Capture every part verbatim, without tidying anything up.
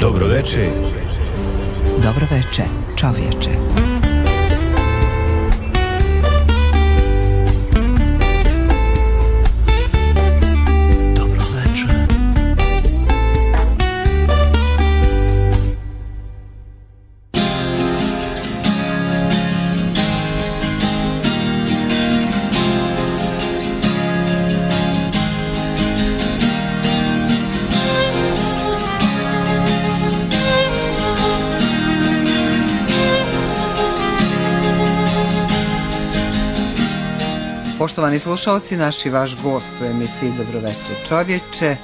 Dobro veče. Dobro veče, čovječe. Poštovani slušalci, naš i vaš gost u emisiji Dobro veče čovječe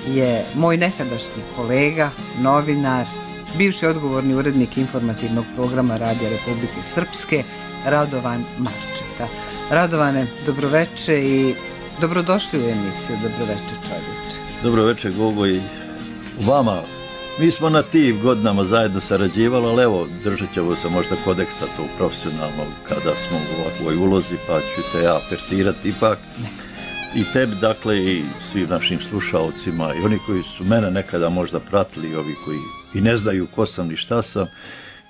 je moj nekadašnji kolega, novinar, bivši odgovorni urednik informativnog programa Radija Republike Srpske, Radovan Marčeta. Radovane, dobro veče i dobrodošli u emisiju Dobro veče čovječe. Dobro veče, Gogo, i vama. Mi smo na tim godinama zajedno sarađivali, ali evo, držat ćemo se možda kodeksa tog profesionalnog kada smo u ovakvoj ulozi, pa ću te ja persirati ipak. I tebi, dakle, i svim našim slušalcima, i oni koji su mene nekada možda pratili, i ovi koji i ne znaju ko sam ni šta sam,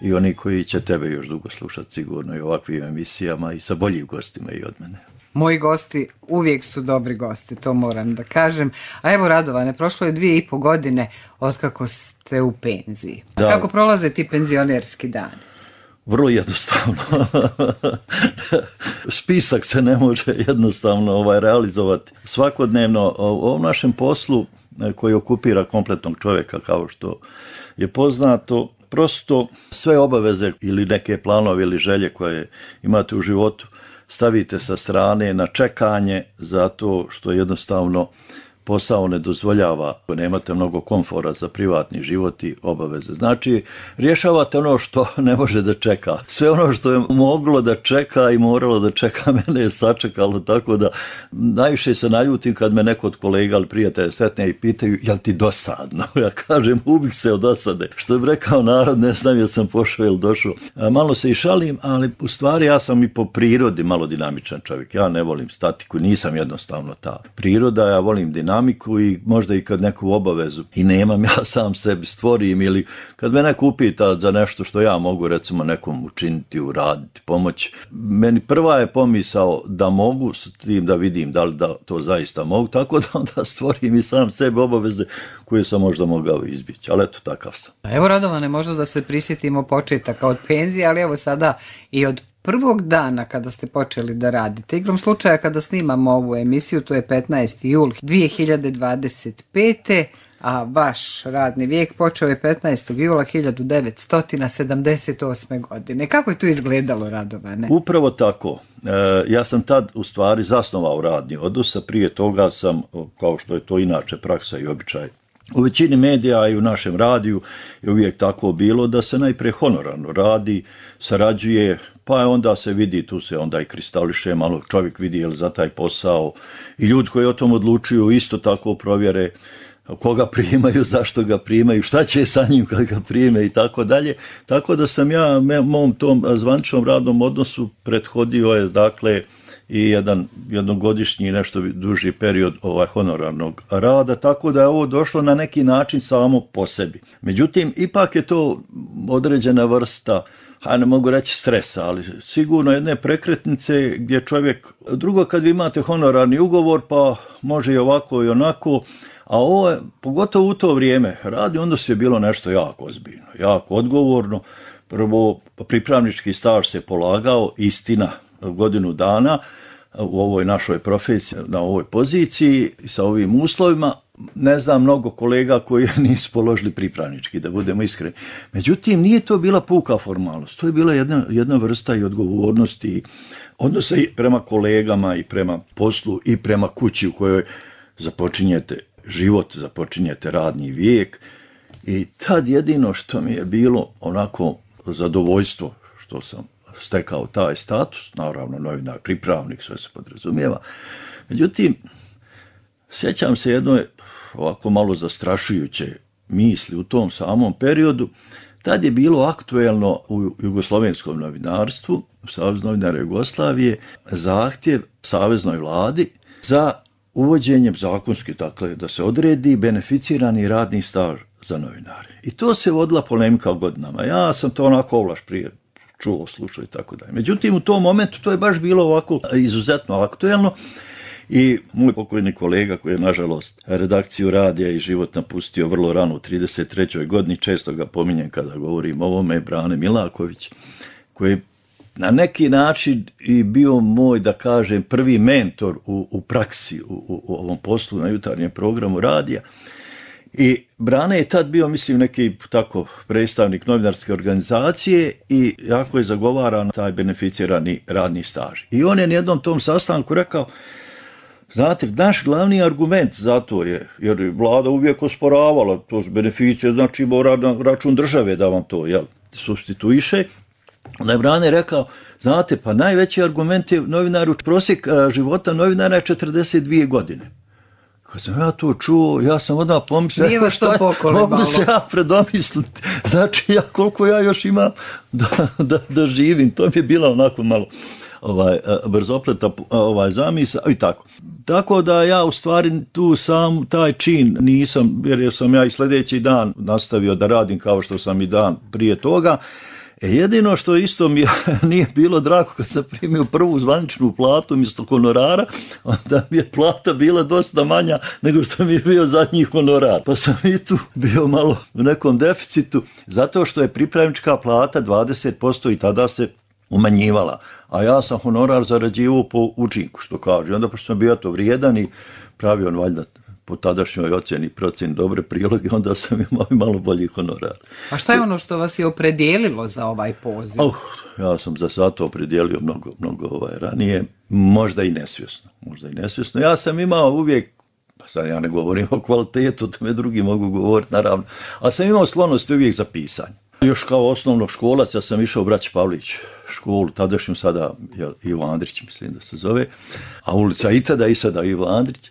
i oni koji će tebe još dugo slušati sigurno i ovakvim emisijama i sa boljim gostima i od mene. Moji gosti uvijek su dobri gosti, to moram da kažem. A evo, Radovane, prošlo je dvije i po godine otkako ste u penziji. Da. Kako prolaze ti penzionerski dani? Vrlo jednostavno. Spisak se ne može jednostavno ovaj, realizovati. Svakodnevno u ovom našem poslu koji okupira kompletnog čovjeka, kao što je poznato, prosto sve obaveze ili neke planove ili želje koje imate u životu stavite sa strane na čekanje zato što jednostavno posao ne dozvoljava, nemate mnogo komfora za privatni život i obaveze. Znači, rješavate ono što ne može da čeka. Sve ono što je moglo da čeka i moralo da čeka, mene je sačekalo, tako da najviše se naljutim kad me neko od kolega ili prijatelja sretne i pitaju, jel ti dosadno? Ja kažem, ubih se od dosade. Što bi rekao narod, ne znam jel sam pošao ili došao. Malo se i šalim, ali u stvari ja sam i po prirodi malo dinamičan čovjek. Ja ne volim statiku, nisam jednostavno ta priroda, ja volim dinamiku. dinamiku i možda i kad neku obavezu i nemam, ja sam sebi stvorim, ili kad me neko upita za nešto što ja mogu recimo nekom učiniti, uraditi, pomoći. Meni prva je pomisao da mogu s tim da vidim da li da to zaista mogu, tako da onda stvorim i sam sebi obaveze koje sam možda mogao izbjeći, ali eto, takav sam. Evo, Radovane, možda da se prisjetimo početaka od penzije, ali evo sada i od prvog dana kada ste počeli da radite. Igrom slučaja kada snimamo ovu emisiju, to je petnaesti jul dvije hiljade dvadeset pete. a vaš radni vijek počeo je petnaestog jula hiljadu devetsto sedamdeset osme. godine. Kako je to izgledalo, Radovane? Upravo tako. E, ja sam tad u stvari zasnovao radni odnos, a prije toga sam, kao što je to inače praksa i običaj, u većini medija i u našem radiju je uvijek tako bilo da se najprije honorarno radi, sarađuje, pa onda se vidi, tu se onda i kristališe, malo čovjek vidi je li za taj posao i ljudi koji o tom odlučuju isto tako provjere koga primaju, zašto ga primaju, šta će sa njim kad ga prime i tako dalje. Tako da sam ja mom tom zvaničnom radnom odnosu prethodio je dakle i jedan jednogodišnji nešto duži period ovaj honorarnog rada, tako da je ovo došlo na neki način samo po sebi. Međutim, ipak je to određena vrsta, a ne mogu reći stresa, ali sigurno jedne prekretnice gdje čovjek, drugo kad vi imate honorarni ugovor, pa može i ovako i onako, a ovo je, pogotovo u to vrijeme, radni odnos je bilo nešto jako ozbiljno, jako odgovorno. Prvo, pripravnički staž se polagao, istina, godinu dana u ovoj našoj profesiji, na ovoj poziciji i sa ovim uslovima. Ne znam mnogo kolega koji nisu položili pripravnički, da budemo iskreni. Međutim, nije to bila puka formalnost, to je bila jedna, jedna vrsta i odgovornosti, odnosa i prema kolegama i prema poslu i prema kući u kojoj započinjete život, započinjete radni vijek. I tad jedino što mi je bilo onako zadovoljstvo što sam stekao taj status, naravno novinar, pripravnik, sve se podrazumijeva. Međutim, sjećam se jednoj ovako malo zastrašujuće misli u tom samom periodu. Tad je bilo aktuelno u jugoslovenskom novinarstvu, u Savezu novinara Jugoslavije, zahtjev saveznoj vladi za uvođenjem zakonski, dakle, da se odredi beneficirani radni staž za novinare. I to se vodila polemika godinama. Ja sam to onako ovlaš prije čuo, slušao i tako dalje. Međutim, u tom momentu to je baš bilo ovako izuzetno aktuelno i moj pokojni kolega koji je, nažalost, redakciju Radija i Život napustio vrlo rano u trideset trećoj godini, često ga pominjem kada govorim o ovome, Brane Milaković, koji na neki način i bio moj, da kažem, prvi mentor u, u praksi, u, u, u ovom poslu na jutarnjem programu Radija. I Brane je tad bio, mislim, neki tako predstavnik novinarske organizacije i jako je zagovaran taj beneficirani radni staž. I on je na jednom tom sastanku rekao, znate, naš glavni argument za to je, jer vlada uvijek osporavala to s beneficije, znači mora na račun države da vam to, jel, supstituiše. Onda je Brane rekao, znate, pa najveći argument je novinaru, prosjek života novinara je četrdeset dvije godine. Kad sam ja to čuo, ja sam odmah pomislio, nije vas to pokolebalo. Mogu se ja predomisliti, znači ja koliko ja još imam da, da, da živim, to mi je bila onako malo ovaj, brzopleta ovaj, zamisa i tako. Tako da ja u stvari tu sam taj čin nisam, jer sam ja i sljedeći dan nastavio da radim kao što sam i dan prije toga. E jedino što isto mi nije bilo drago kad sam primio prvu zvaničnu platu mjesto honorara, onda mi je plata bila dosta manja nego što mi je bio zadnji honorar. Pa sam i tu bio malo u nekom deficitu, zato što je pripravnička plata dvadeset posto i tada se umanjivala. A ja sam honorar zarađivao po učinku, što kaže. Onda pošto sam bio to vrijedan i pravio on valjda po tadašnjoj ocjeni procjeni dobre priloge, onda sam imao malo bolji honorar. A šta je ono što vas je opredijelilo za ovaj poziv? Oh, ja sam za sad to opredijelio mnogo, mnogo ovaj, ranije, možda i nesvjesno. Možda i nesvjesno. Ja sam imao uvijek, pa sad ja ne govorim o kvalitetu, to me drugi mogu govoriti naravno, ali sam imao sklonost uvijek za pisanje. Još kao osnovnog školac ja sam išao u Braći Pavlić školu, tadašnju sada Ivo Andrić, mislim da se zove, a ulica i tada i sada Ivo Andrić.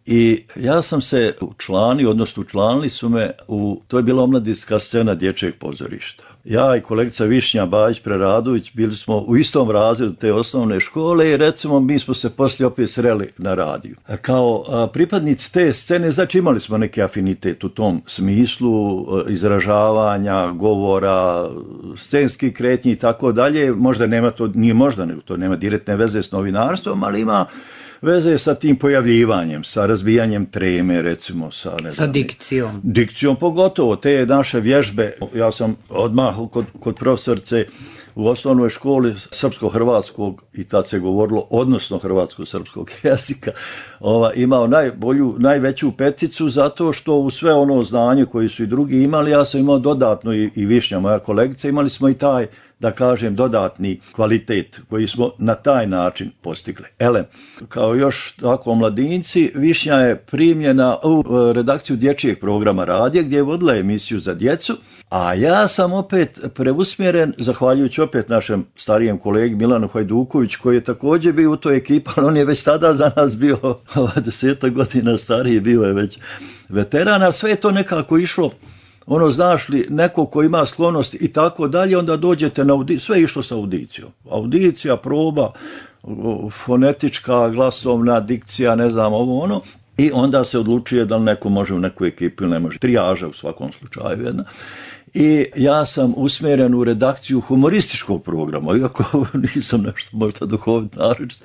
I ja sam se učlanio, odnosno učlanili su me u, to je bila omladinska scena dječjeg pozorišta. Ja i kolegica Višnja Bajić-Preradović bili smo u istom razredu te osnovne škole i recimo mi smo se poslije opet sreli na radiju. Kao a, pripadnici te scene, znači imali smo neki afinitet u tom smislu a, izražavanja, govora, scenski kretnji i tako dalje. Možda nema to, nije možda, nego to nema direktne veze s novinarstvom, ali ima veze sa tim pojavljivanjem, sa razbijanjem treme, recimo. Sa, ne sa znam, dikcijom. Dikcijom pogotovo, te naše vježbe. Ja sam odmah kod, kod profesorice u osnovnoj školi srpsko-hrvatskog, i tad se govorilo odnosno hrvatsko-srpskog jezika, ova, imao najbolju, najveću peticu zato što u sve ono znanje koje su i drugi imali, ja sam imao dodatno i, i Višnja, moja kolegica, imali smo i taj, da kažem, dodatni kvalitet koji smo na taj način postigli. Ele, kao još tako mladinci, Višnja je primljena u redakciju dječjeg programa Radija gdje je vodila emisiju za djecu, a ja sam opet preusmjeren, zahvaljujući opet našem starijem kolegi Milanu Hajduković, koji je također bio u toj ekipi, ali on je već tada za nas bio desetak godina stariji, bio je već veteran, a sve je to nekako išlo, ono, znaš li, neko ko ima sklonost i tako dalje, onda dođete na audiciju, sve je išlo sa audicijom. Audicija, proba, fonetička, glasovna, dikcija, ne znam, ovo ono, i onda se odlučuje da li neko može u neku ekipu ili ne može. Trijaža u svakom slučaju jedna. I ja sam usmjeren u redakciju humorističkog programa, iako nisam nešto možda duhovit naročit.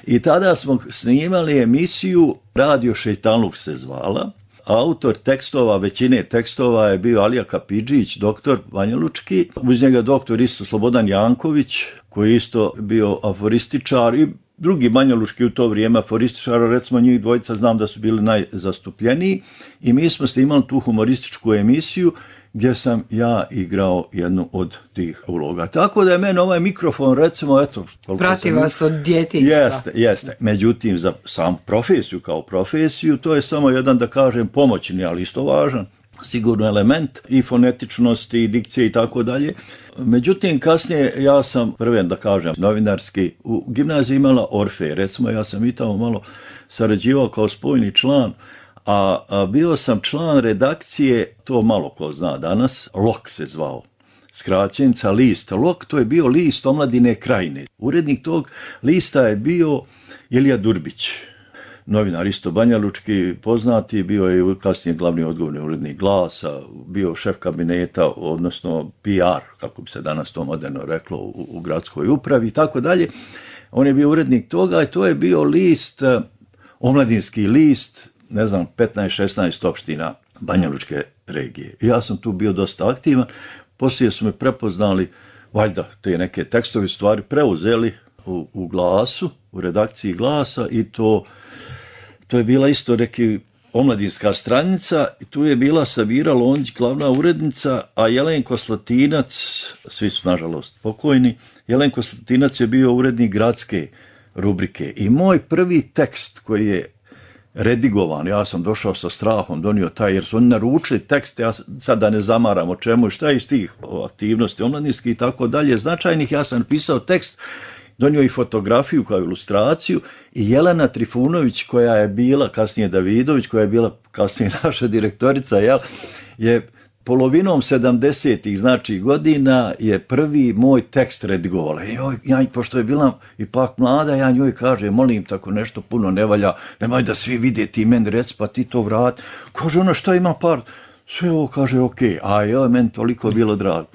I tada smo snimali emisiju Radio Šejtanluk se zvala. Autor tekstova, većine tekstova je bio Alija Kapidžić, doktor Banja Lučki, uz njega doktor isto Slobodan Janković, koji je isto bio aforističar i drugi Banja Lučki u to vrijeme aforističara, recimo njih dvojica znam da su bili najzastupljeniji i mi smo snimali tu humorističku emisiju gdje sam ja igrao jednu od tih uloga. Tako da je meni ovaj mikrofon, recimo, eto... Prati vas od djetinjstva. Jeste, jeste. Međutim, za samu profesiju kao profesiju, to je samo jedan, da kažem, pomoćni, ali isto važan, sigurno element i fonetičnosti, i dikcije i tako dalje. Međutim, kasnije ja sam prven, da kažem, novinarski, u gimnaziji imala Orfej, recimo, ja sam i tamo malo sarađivao kao spojni član, A, a bio sam član redakcije, to malo ko zna danas, Lok se zvao, skraćenica list. Lok, to je bio list Omladine Krajine. Urednik tog lista je bio Ilija Durbić. novinar isto banjalučki poznati, bio je kasnije glavni odgovorni urednik Glasa, bio šef kabineta, odnosno P R, kako bi se danas to moderno reklo, u, u gradskoj upravi i tako dalje. On je bio urednik toga i to je bio list, omladinski list, ne znam, petnaest šesnaest opština banjalučke regije. I ja sam tu bio dosta aktivan, poslije su me prepoznali, valjda te neke tekstovi stvari preuzeli u, u Glasu, u redakciji Glasa i to, to je bila isto neki omladinska stranica i tu je bila Sabira Lonđić, glavna urednica, a Jelenko Slatinac, svi su nažalost pokojni, Jelenko Slatinac je bio urednik gradske rubrike i moj prvi tekst koji je redigovan, ja sam došao sa strahom, donio taj, jer su oni naručili tekst, ja sad da ne zamaram o čemu i šta je iz tih aktivnosti omladinskih i tako dalje značajnih, ja sam napisao tekst, donio i fotografiju kao ilustraciju i Jelena Trifunović koja je bila, kasnije Davidović, koja je bila kasnije naša direktorica, jel, je polovinom sedamdesetih znači godina je prvi moj tekst redigovala. I joj, ja, pošto je bila ipak mlada, ja njoj kaže, molim, tako nešto puno ne valja, nemoj da svi vide, ti meni reci, pa ti to vrat. Kaže ona, šta ima par? Sve ovo kaže, ok, a joj, meni toliko bilo drago.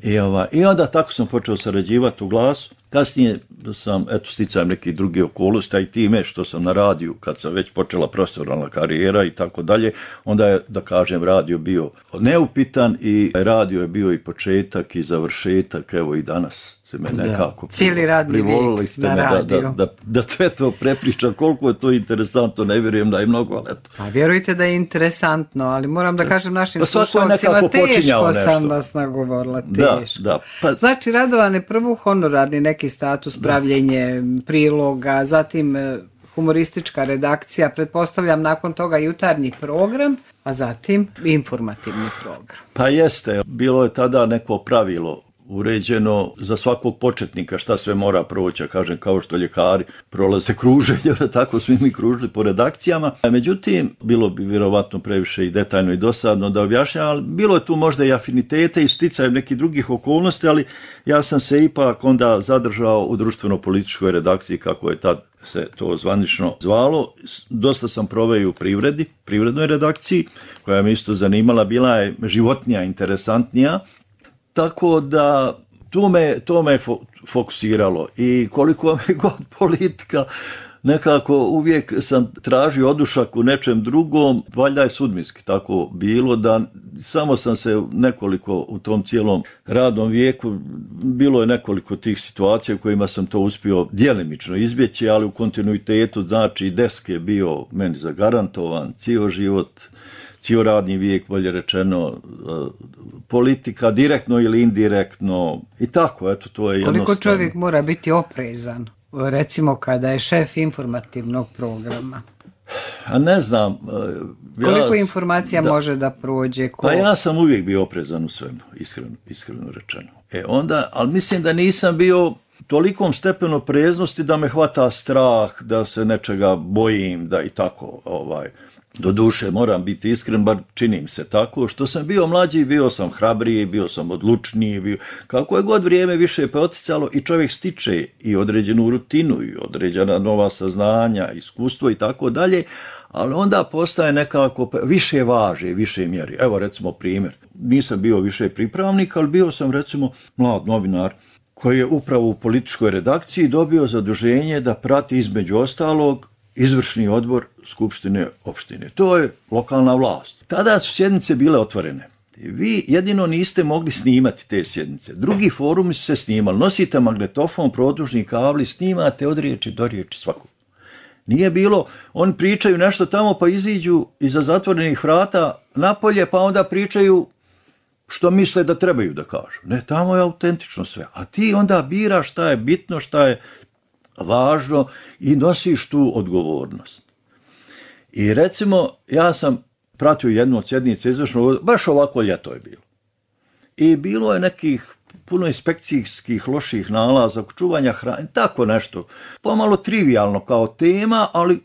I, ova, I onda tako sam počeo sarađivati u Glasu. Kasnije sam, eto, sticajem neki drugi okolnosti, a i time što sam na radiju, kad sam već počela profesionalna karijera i tako dalje, onda je, da kažem, radio bio neupitan i radio je bio i početak i završetak, evo i danas se me nekako cijeli radni vijek na radiju. Da, da, da, da sve to prepričam, koliko je to interesantno, ne vjerujem da je mnogo, ali eto. Pa vjerujte da je interesantno, ali moram da kažem našim pa slušalcima, teško sam vas nagovorila, teško. Da, da, pa... Znači, Radovane, prvo honorarni neki status, pravljenje priloga, zatim humoristička redakcija, pretpostavljam nakon toga jutarnji program, a zatim informativni program. Pa jeste, bilo je tada neko pravilo uređeno za svakog početnika šta sve mora proći, ja kažem, kao što ljekari prolaze kruženje, tako smo mi kružili po redakcijama. Međutim, bilo bi vjerovatno previše i detaljno i dosadno da objašnjam, ali bilo je tu možda i afinitete i sticajem nekih drugih okolnosti, ali ja sam se ipak onda zadržao u društveno-političkoj redakciji, kako je tad se to zvanično zvalo. Dosta sam proveo u privredi, privrednoj redakciji, koja me isto zanimala, bila je životnija, interesantnija. Tako da to me, to me fokusiralo i koliko me god politika, nekako uvijek sam tražio odušak u nečem drugom, valjda je sudbinski tako bilo da samo sam se nekoliko u tom cijelom radnom vijeku, bilo je nekoliko tih situacija u kojima sam to uspio djelimično izbjeći, ali u kontinuitetu, znači desk je bio meni zagarantovan, cijel život, cijel radni vijek, bolje rečeno, politika direktno ili indirektno i tako, eto, to je jednostavno. Koliko čovjek mora biti oprezan, recimo kada je šef informativnog programa? A ne znam. Ja, koliko informacija da, može da prođe? Ko... Pa ja sam uvijek bio oprezan u svemu, iskreno, iskreno rečeno. E onda, ali mislim da nisam bio tolikom stepenu opreznosti da me hvata strah, da se nečega bojim, da i tako, ovaj... Do duše, moram biti iskren, bar činim se tako, što sam bio mlađi, bio sam hrabriji, bio sam odlučniji, bio... kako je god vrijeme više poticalo i čovjek stiče i određenu rutinu i određena nova saznanja, iskustvo i tako dalje, ali onda postaje nekako više važe, više mjeri. Evo recimo primjer, nisam bio više pripravnik, ali bio sam recimo mlad novinar koji je upravo u političkoj redakciji dobio zaduženje da prati između ostalog izvršni odbor Skupštine opštine. To je lokalna vlast. Tada su sjednice bile otvorene. Vi jedino niste mogli snimati te sjednice. Drugi forumi su se snimali. Nosite magnetofon, produžni kabli, snimate od riječi do riječi svakog. Nije bilo, oni pričaju nešto tamo pa iziđu iza zatvorenih vrata napolje pa onda pričaju što misle da trebaju da kažu. Ne, tamo je autentično sve. A ti onda biraš šta je bitno, šta je važno i nosiš tu odgovornost. I recimo, ja sam pratio jednu od sjednice izvršno, baš ovako ljeto je bilo. I bilo je nekih puno inspekcijskih loših nalaza, čuvanja hrane, tako nešto. Pomalo trivijalno kao tema, ali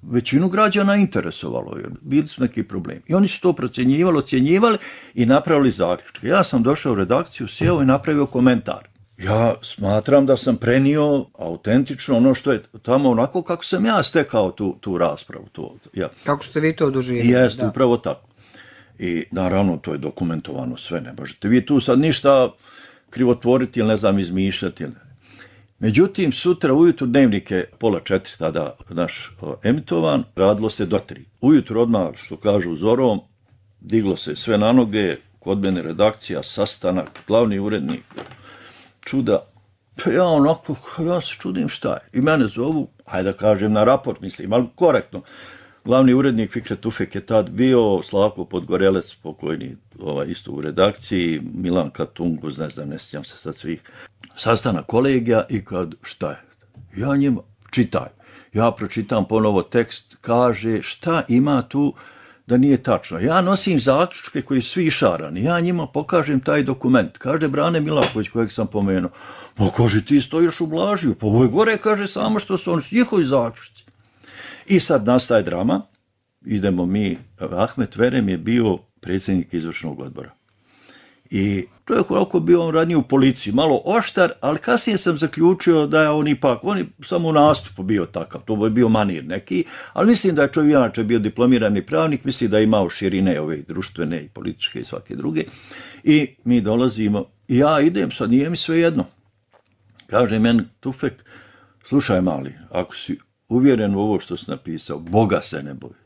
većinu građana interesovalo, jer bili su neki problemi. I oni su to procjenjivali, ocjenjivali i napravili zaključke. Ja sam došao u redakciju, sjeo i napravio komentar. ja smatram da sam prenio autentično ono što je tamo onako kako sam ja stekao tu, tu raspravu. To, ja. Kako ste vi to doživjeli? Jeste, upravo tako. I naravno to je dokumentovano sve, ne možete vi tu sad ništa krivotvoriti ili ne znam izmišljati. Međutim, sutra ujutru Dnevnik je pola četiri tada naš o, emitovan, radilo se do tri. Ujutru odmah, što kažu zorom, diglo se sve na noge, kod mene redakcija, sastanak, glavni urednik, čuda. Pa ja onako, ja se čudim šta je. I mene zovu, hajde da kažem na raport, mislim, ali korektno. Glavni urednik Fikret Tufek je tad bio, Slavko Podgorelec, pokojni ovaj, isto u redakciji, Milan Katunguz, ne znam, ne sjećam se sad svih. Sastanak kolegija i kad, šta je? Ja njima, čitaj. Ja pročitam ponovo tekst, kaže šta ima tu da nije tačno. Ja nosim zaključke koji su svi šarani. Ja njima pokažem taj dokument. Kaže Brane Milaković, kojeg sam pomenuo. Pa kaže, ti stojiš u Blažiju. Pa ovo je gore, kaže, samo što su oni njihovi zaključci. I sad nastaje drama. Idemo mi, Ahmet Verem je bio predsjednik izvršnog odbora. I čovjek ovako bio on radnije u policiji, malo oštar, ali kasnije sam zaključio da je on ipak, on je samo u nastupu bio takav, to je bio manir neki, ali mislim da je čovjek inače bio diplomirani pravnik, mislim da je imao širine ove društvene i političke i svake druge. I mi dolazimo, i ja idem, sad nije mi sve jedno. Kaže meni Tufek, slušaj mali, ako si uvjeren u ovo što si napisao, Boga se ne boji.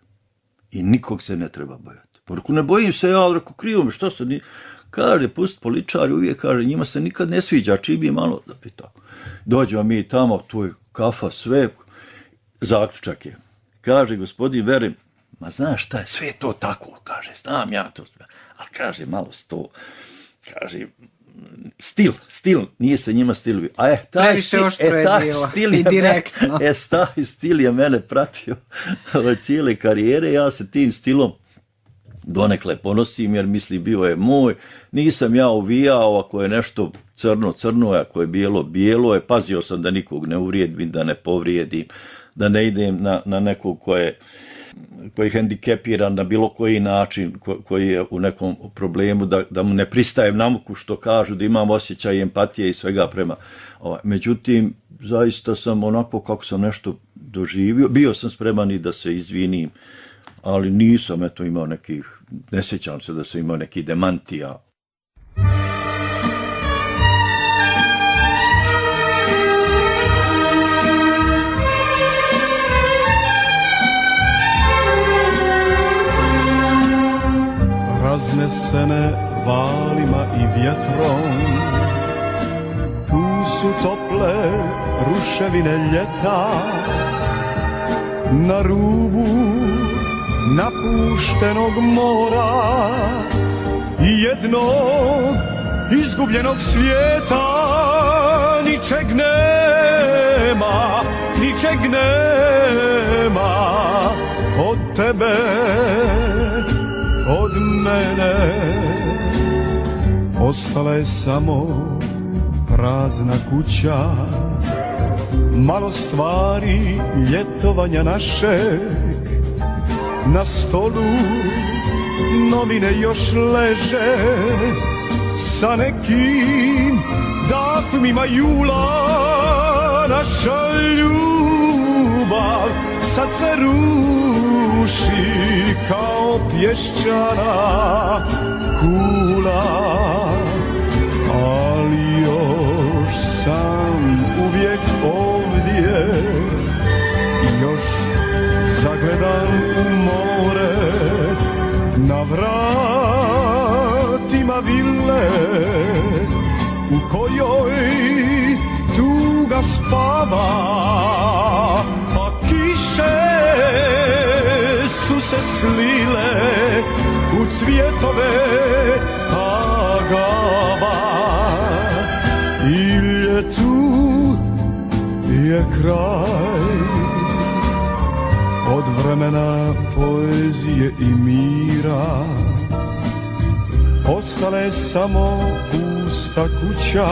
I nikog se ne treba bojati. Porku, ne bojim se ja, ali ako krivo mi, što se nije... Kaže, pust političari, uvijek kaže, njima se nikad ne sviđa, čibi malo, i tako. Dođemo mi tamo, tu je kafa, sve, zaključak je. Kaže, gospodin Verem, ma znaš šta je, sve to tako, kaže, znam ja to, ali kaže, malo sto, kaže, stil, stil, nije se njima stil, a je, taj stil, e, taj stil je, i direktno. E, taj stil je mene pratio ove cijele karijere, ja se tim stilom donekle ponosim, jer misli bio je moj, nisam ja uvijao ako je nešto crno, crno, ako je bijelo, bijelo je, pazio sam da nikog ne uvrijedim, da ne povrijedim, da ne idem na, na nekog ko je, koji je hendikepiran na bilo koji način, ko, koji je u nekom problemu, da, da mu ne pristajem na muku što kažu, da imam osjećaj empatije i svega prema. Ovaj. Međutim, zaista sam onako kako sam nešto doživio, bio sam spreman i da se izvinim, ali nisam eto imao nekih, ne sjećam se da sam imao nekih demantija. Raznesene valima i vjetrom, tu su tople ruševine ljeta, na rubu napuštenog mora i jednog izgubljenog svijeta. Ničeg nema, ničeg nema od tebe, od mene. Ostala je samo prazna kuća, malo stvari ljetovanja našeg. Na stolu novine još leže sa nekim datumima jula. Naša ljubav sad se ruši kao pješčana kula, ali još sam uvijek ovdje, još zagledam u more, na vratima vile u kojoj tuga spava, a kiše su se slile u cvjetove agava. I ljetu je kraj, od vremena poezije i mira ostala je samo pusta kuća,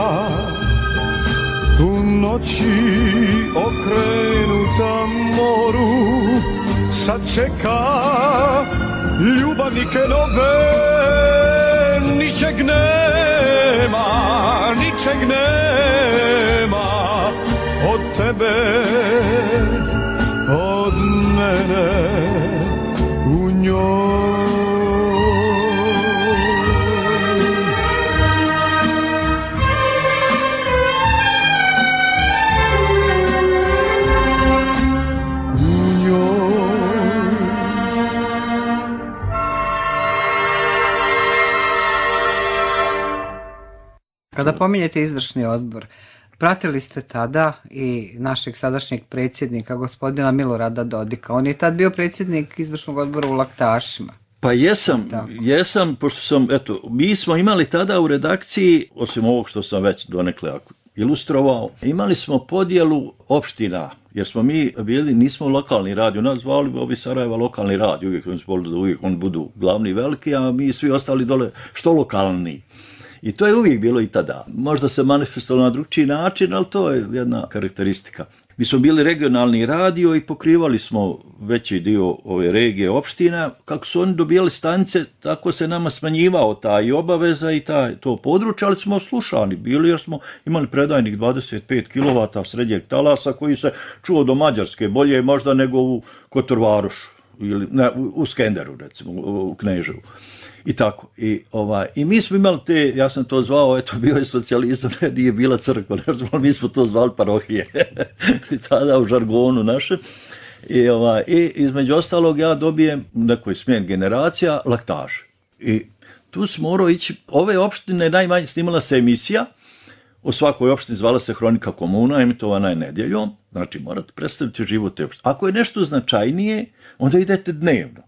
u noći okrenuta moru. Sad čeka ljubavnike nove, nič ničeg nema, ničeg nema od tebe, od mene u njoj. Kada pominjete izvršni odbor, pratili ste tada i našeg sadašnjeg predsjednika, gospodina Milorada Dodika. On je tad bio predsjednik izvršnog odbora u Laktašima. Pa jesam, jesam, pošto sam, eto, mi smo imali tada u redakciji, osim ovog što sam već donekle ilustrovao, imali smo podjelu opština, jer smo mi bili, nismo lokalni radio, nas zvali ovi Sarajeva lokalni radio, uvijek oni su da uvijek oni budu glavni veliki, a mi svi ostali dole što lokalni. I to je uvijek bilo i tada. Možda se manifestovalo na drugčiji način, ali to je jedna karakteristika. Mi smo bili regionalni radio i pokrivali smo veći dio ove regije opština. Kako su oni dobijali stanice, tako se nama smanjivao ta i obaveza i ta, to područje, ali smo slušani bili jer smo imali predajnik dvadeset pet kilovata srednjeg talasa koji se čuo do Mađarske, bolje možda nego u Kotorvarošu ili ne, u Skenderu recimo, u Kneževu. I tako. I, ovaj, I mi smo imali te, ja sam to zvao, eto, bio je socijalizam, nije bila crkva, ne, mi smo to zvali parohije. I tada u žargonu našem. I, ovaj, I između ostalog ja dobijem nekoj smjen generacija Laktaš. I tu smo morao ići, ove opštine najmanje snimala se emisija, u svakoj opštini zvala se Hronika komuna, emitovana je nedjeljom, znači morate predstaviti život te opštine. Ako je nešto značajnije, onda idete dnevno.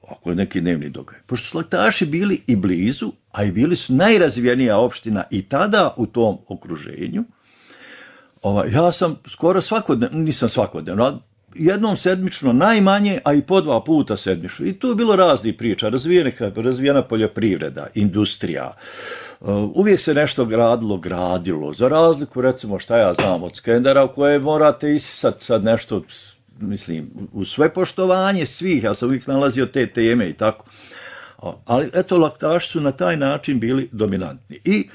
Ako je neki dnevni događaj. Pošto su Laktaši bili i blizu, a i bili su najrazvijenija opština i tada u tom okruženju, ovaj, ja sam skoro svakodnevno, nisam svakodnevno, jednom sedmično najmanje, a i po dva puta sedmično. I tu je bilo raznih priča, razvijena, razvijena poljoprivreda, industrija, uvijek se nešto gradilo, gradilo, za razliku recimo šta ja znam od Skendera u koje morate isisati sad nešto, mislim, u sve poštovanje svih, ja sam uvijek nalazio te teme i tako. Ali eto, Laktaši su na taj način bili dominantni. I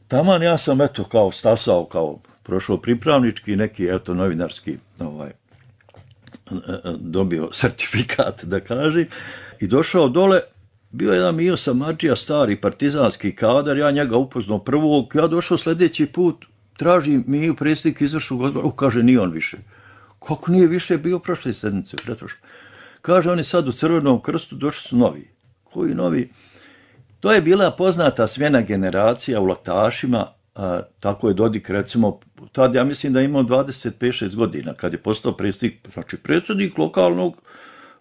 taman ja sam eto kao stasao, kao prošao pripravnički, neki eto novinarski ovaj, dobio sertifikat, da kažem, i došao dole, bio je jedan Mio Samardžija, stari partizanski kadar, ja njega upoznao prvog, ja došao sljedeći put, tražim Miju, predsjednik izvršnog odbora, kaže, nije on više. Kako nije više bio prošle sedmice, pretrošno. Kaže, on je sad u Crvenom krstu, došli su novi. Koji novi? To je bila poznata smjena generacija u Laktašima, a, tako je Dodik, recimo, tad ja mislim da je imao dvadeset pet šest godina, kad je postao predsjednik, znači predsjednik lokalnog,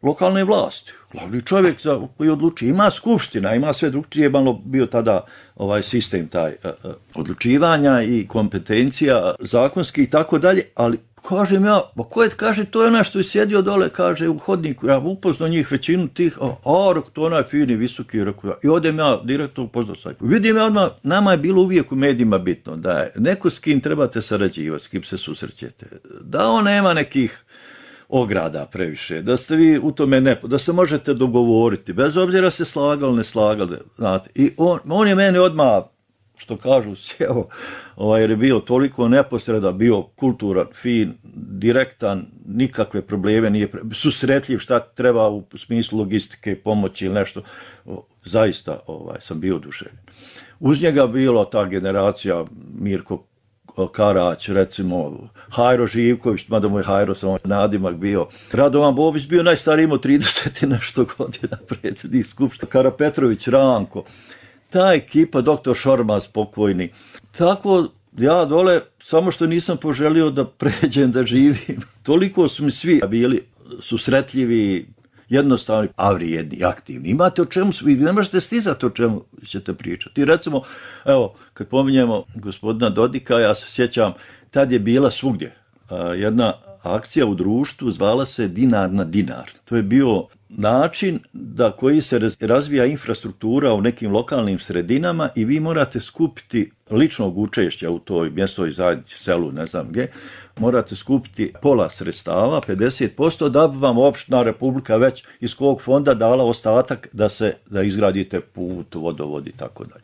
lokalne vlasti. Glavni čovjek za, koji odluči. Ima skupština, ima sve drugčije, malo bio tada ovaj sistem taj a, a, odlučivanja i kompetencija zakonski i tako dalje, ali kažem ja, pa ko je, kaže, to je ona što je sjedio dole, kaže, u hodniku, ja upoznao njih većinu tih, a, a to onaj fini, visoki, rekao, i odem ja direktno upoznao sad. Vidim ja odmah, nama je bilo uvijek u medijima bitno, da je neko s kim trebate sarađivati, s kim se susrećete, da on nema nekih ograda previše, da ste vi u tome ne, da se možete dogovoriti, bez obzira se slagali, ne slagali, znate. I on, on je meni odmah, što kažu, sjeo, ovaj, jer je bio toliko neposreda, bio kulturan, fin, direktan, nikakve probleme, nije pre... susretljiv šta treba u smislu logistike, pomoći ili nešto. O, zaista ovaj, sam bio oduševljen. Uz njega bila ta generacija Mirko Karać, recimo, Hajro Živković, mada mu je Hajro samo nadimak bio. Radovan Bobić bio najstariji, imao trideset i nešto godina, predsjednik skupština. Kara Petrović, Ranko. Ta ekipa, doktor Šormaz pokojni. Tako, ja dole, samo što nisam poželio da pređem, da živim. Toliko su mi svi bili susretljivi, jednostavni, a vrijedni, aktivni. Imate o čemu, vi ne možete stizati o čemu ćete pričati. I recimo, evo, kad pominjemo gospodina Dodika, ja se sjećam, tad je bila svugdje jedna akcija u društvu, zvala se Dinar na dinar. To je bio način da koji se razvija infrastruktura u nekim lokalnim sredinama i vi morate skupiti ličnog učešća u toj mjesnoj zajednici, selu, ne znam gdje, morate skupiti pola sredstava, pedeset posto, da bi vam opština, republika već iz kog fonda dala ostatak da se da izgradite put, vodovod i tako dalje.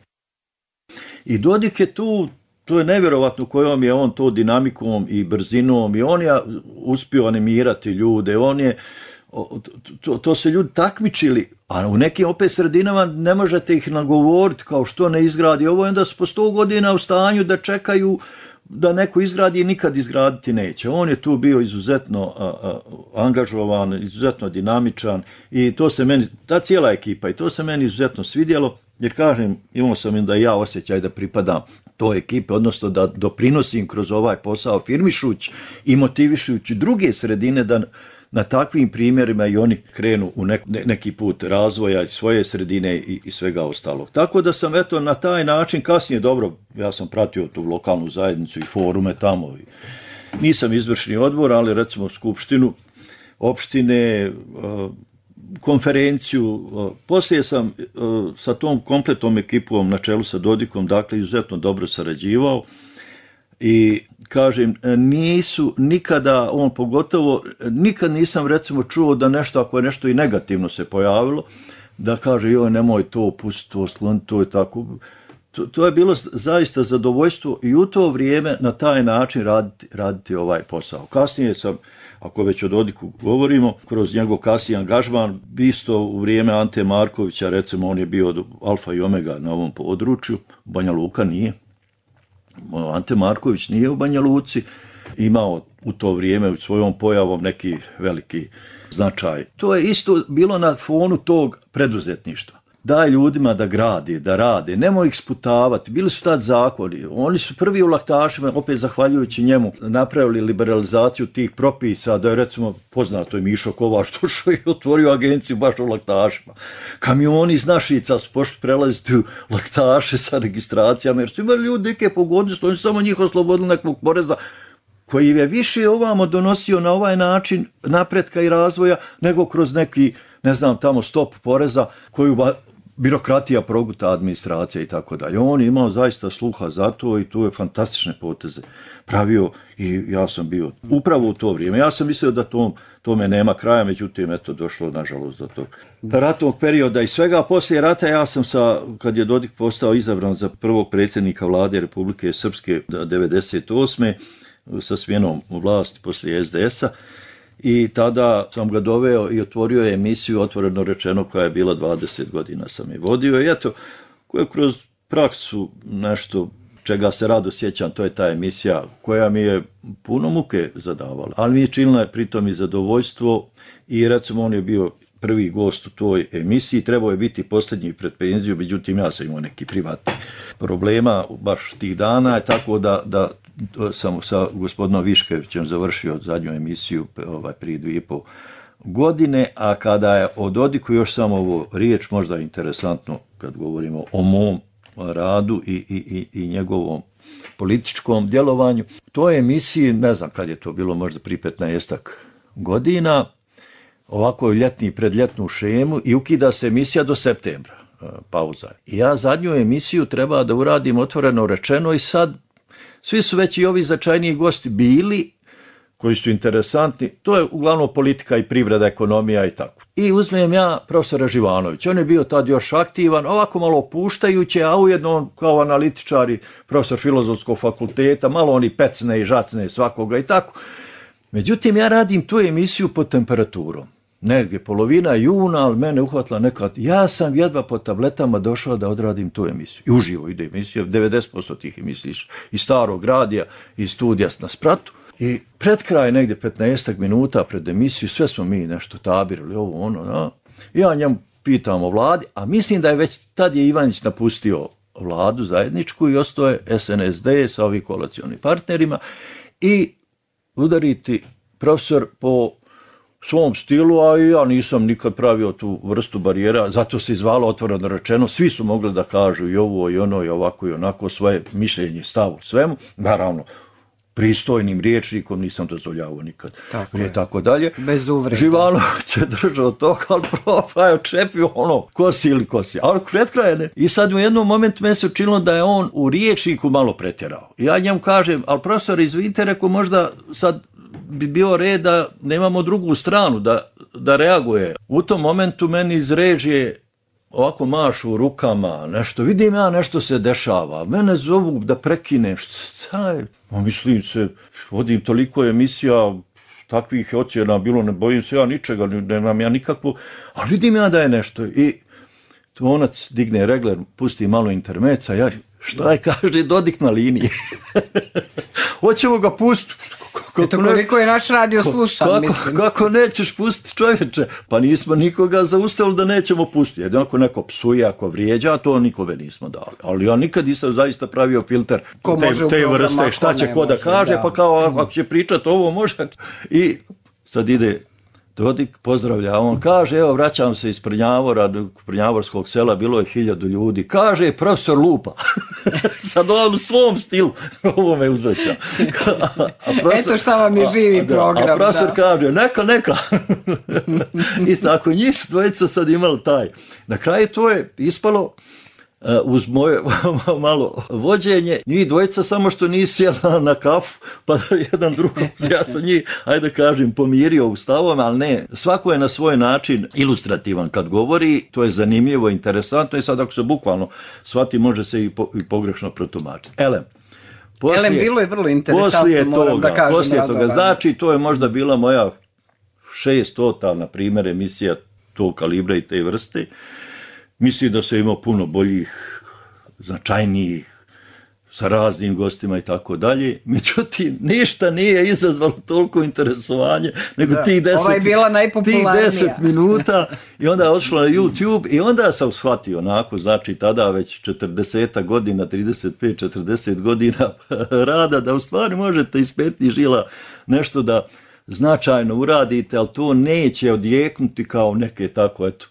I Dodik je tu, to je nevjerovatno kojom je on to dinamikom i brzinom i on je uspio animirati ljude, on je To, to se ljudi takmičili, a u nekim opet sredinama ne možete ih nagovoriti kao što ne izgradi ovo, onda su po sto godina u stanju da čekaju da neko izgradi i nikad izgraditi neće. On je tu bio izuzetno a, a, angažovan, izuzetno dinamičan i to se meni, ta cijela ekipa, i to se meni izuzetno svidjelo, jer kažem, imao sam da ja osjećaj da pripadam toj ekipe, odnosno da doprinosim kroz ovaj posao firmišući i motivišući druge sredine da na takvim primjerima i oni krenu u nek, neki put razvoja svoje sredine i, i svega ostalog. Tako da sam eto na taj način, kasnije dobro, ja sam pratio tu lokalnu zajednicu i forume tamo. I nisam izvršni odbor, ali recimo skupštinu, opštine, konferenciju. Poslije sam sa tom kompletnom ekipom na čelu sa Dodikom, dakle, izuzetno dobro sarađivao. I kažem, nisu nikada, on pogotovo, nikad nisam recimo čuo da nešto, ako je nešto i negativno se pojavilo, da kaže, joj, nemoj to, pusti to, skloni to i tako. To, to je bilo zaista zadovoljstvo i u to vrijeme na taj način raditi, raditi ovaj posao. Kasnije sam, ako već o Dodiku govorimo, kroz njegov kasniji angažman, isto u vrijeme Ante Markovića, recimo, on je bio alfa i omega na ovom području, Banja Luka nije. Ante Marković nije u Banja Luci imao u to vrijeme svojom pojavom neki veliki značaj. To je isto bilo na fonu tog preduzetništva. Daj ljudima da gradi, da rade, nemoj ih sputavati. Bili su tad zakoni. Oni su prvi u laktašima, opet zahvaljujući njemu, napravili liberalizaciju tih propisa, da je recimo poznato je Mišo Kovač došao i otvorio agenciju baš u laktašima. Kamioni iz Našica su pošli prelaziti u laktaše sa registracijama, jer su imali ljudi neke pogodnosti, oni su samo njih oslobodili nekog poreza koji je više ovamo donosio na ovaj način napretka i razvoja, nego kroz neki, ne znam, tamo stop poreza koju birokratija proguta, administracija i tako dalje. On je imao zaista sluha za to i tu je fantastične poteze pravio i ja sam bio upravo u to vrijeme. Ja sam mislio da tom, tome nema kraja, međutim, eto, došlo nažalost do tog ratnog perioda i svega. Poslije rata ja sam sa, kad je Dodik postao izabran za prvog predsjednika vlade Republike Srpske devedeset osme sa smjenom vlasti poslije es de esa, i tada sam ga doveo i otvorio je emisiju, otvoreno rečeno, koja je bila dvadeset godina sam je vodio. I eto, koja kroz praksu nešto čega se rado sjećam, to je ta emisija koja mi je puno muke zadavala. Ali mi je činila pritom i zadovoljstvo i recimo on je bio prvi gost u toj emisiji, trebao je biti posljednji pred penziju, međutim ja sam imao neki privatni problema baš tih dana, tako da, da sam sa gospodinom Viškevićem završio zadnju emisiju ovaj, prije dvije i pol godine, a kada je o Dodiku još samo ovo riječ, možda interesantno kad govorimo o mom radu i, i, i, i njegovom političkom djelovanju. To je emisiji, ne znam kad je to bilo, možda prije petnaestak godina, ovako ljetni predljetnu šemu i ukida se emisija do septembra, pauza. I ja zadnju emisiju treba da uradim otvoreno rečeno i sad svi su već i ovi značajniji gosti bili, koji su interesantni, to je uglavnom politika i privreda, ekonomija i tako. I uzmem ja profesora Živanovića, on je bio tad još aktivan, ovako malo opuštajuće, a ujedno on kao analitičar i profesor filozofskog fakulteta, malo oni pecne i žacne svakoga i tako. Međutim, ja radim tu emisiju pod temperaturom. Negdje polovina juna, ali mene uhvatila nekad. Ja sam jedva po tabletama došao da odradim tu emisiju. I uživo ide emisija, devedeset posto tih emisija iz starog radija, iz studija na Spratu. I pred kraj, negdje petnaestak minuta pred emisiju, sve smo mi nešto tabirali, ovo ono, no. Ja njemu pitam o vladi, a mislim da je već tad je Ivanić napustio vladu zajedničku i ostao je es en es de sa ovim koalicionim partnerima i udariti profesor po svom stilu, a i ja nisam nikad pravio tu vrstu barijera, zato se izvalo otvoreno rečeno, svi su mogli da kažu i ovo i ono i ovako i onako svoje mišljenje, stavu svemu, naravno pristojnim rječnikom, nisam dozvoljavao nikad. Tako je. Tako dalje. Bez uvreda. Živanović je držao to, ali profa je očepio ono, kosi ili kosi. Ali pred kraja ne. I sad u jednom momentu meni se učinilo da je on u rječniku malo pretjerao. Ja njemu kažem, ali profesor, izvinite, rekao, možda sad bi bio red da nemamo drugu stranu, da, da reaguje. U tom momentu meni iz režije ovako mašu rukama, nešto, vidim ja, nešto se dešava, mene zovu da prekinem, šta je? Mislim se, vodim toliko emisija, takvih ocjena bilo, ne bojim se ja ničega, nemam ja nikakvu, ali vidim ja da je nešto. I Tvonac digne regler, pusti malo intermeca, ja, šta je, kaže, Dodik na liniji. Hoćemo ga pustiti. Eto koliko je naš radio slušan, kako, mislim. Kako nećeš pustiti, čovječe? Pa nismo nikoga zaustavili da nećemo pustiti. Jedno ako neko psuje, ako vrijeđa, to nikome nismo dali. Ali ja nikad nisam zaista pravio filter ko te, te vrste, šta će ko da kaže, da. Pa kao ako će pričati ovo može. I sad ide Dodik, pozdravlja, on kaže, evo vraćam se iz Prnjavora, Prnjavorskog sela, bilo je hiljadu ljudi, kaže profesor lupa, sad on u svom stilu, ovo me uzvraća. Eto šta vam je živi a, program. A profesor da. kaže, neka, neka. I tako, njih su dvojica sad imali taj. Na kraju to je ispalo, Uh, uz moje malo vođenje, njih dvojica samo što nisi sjela na kafu, pa da jedan drugom, ja sam njih, ajde kažem, pomirio u stavome, ali ne, svako je na svoj način ilustrativan kad govori, to je zanimljivo, interesantno i sad ako se bukvalno shvati, može se i, po, i pogrešno protumačiti. Elem, poslije, Elem, bilo je vrlo interesantno, moram toga, da kažem. Poslije toga, znači, to je možda bila moja šestota, na primjer, emisija tog kalibra i te vrste. Mislim da se imao puno boljih, značajnijih, sa raznim gostima i tako dalje. Međutim, ništa nije izazvalo toliko interesovanje nego da, tih deset, ova je bila najpopularnija. Tih deset minuta i onda je odšlo na YouTube i onda sam shvatio onako, znači tada već četrdeset godina, trideset pet četrdeset godina rada, da u stvari možete iz petnih žila nešto da značajno uradite, ali to neće odjeknuti kao neke tako, eto,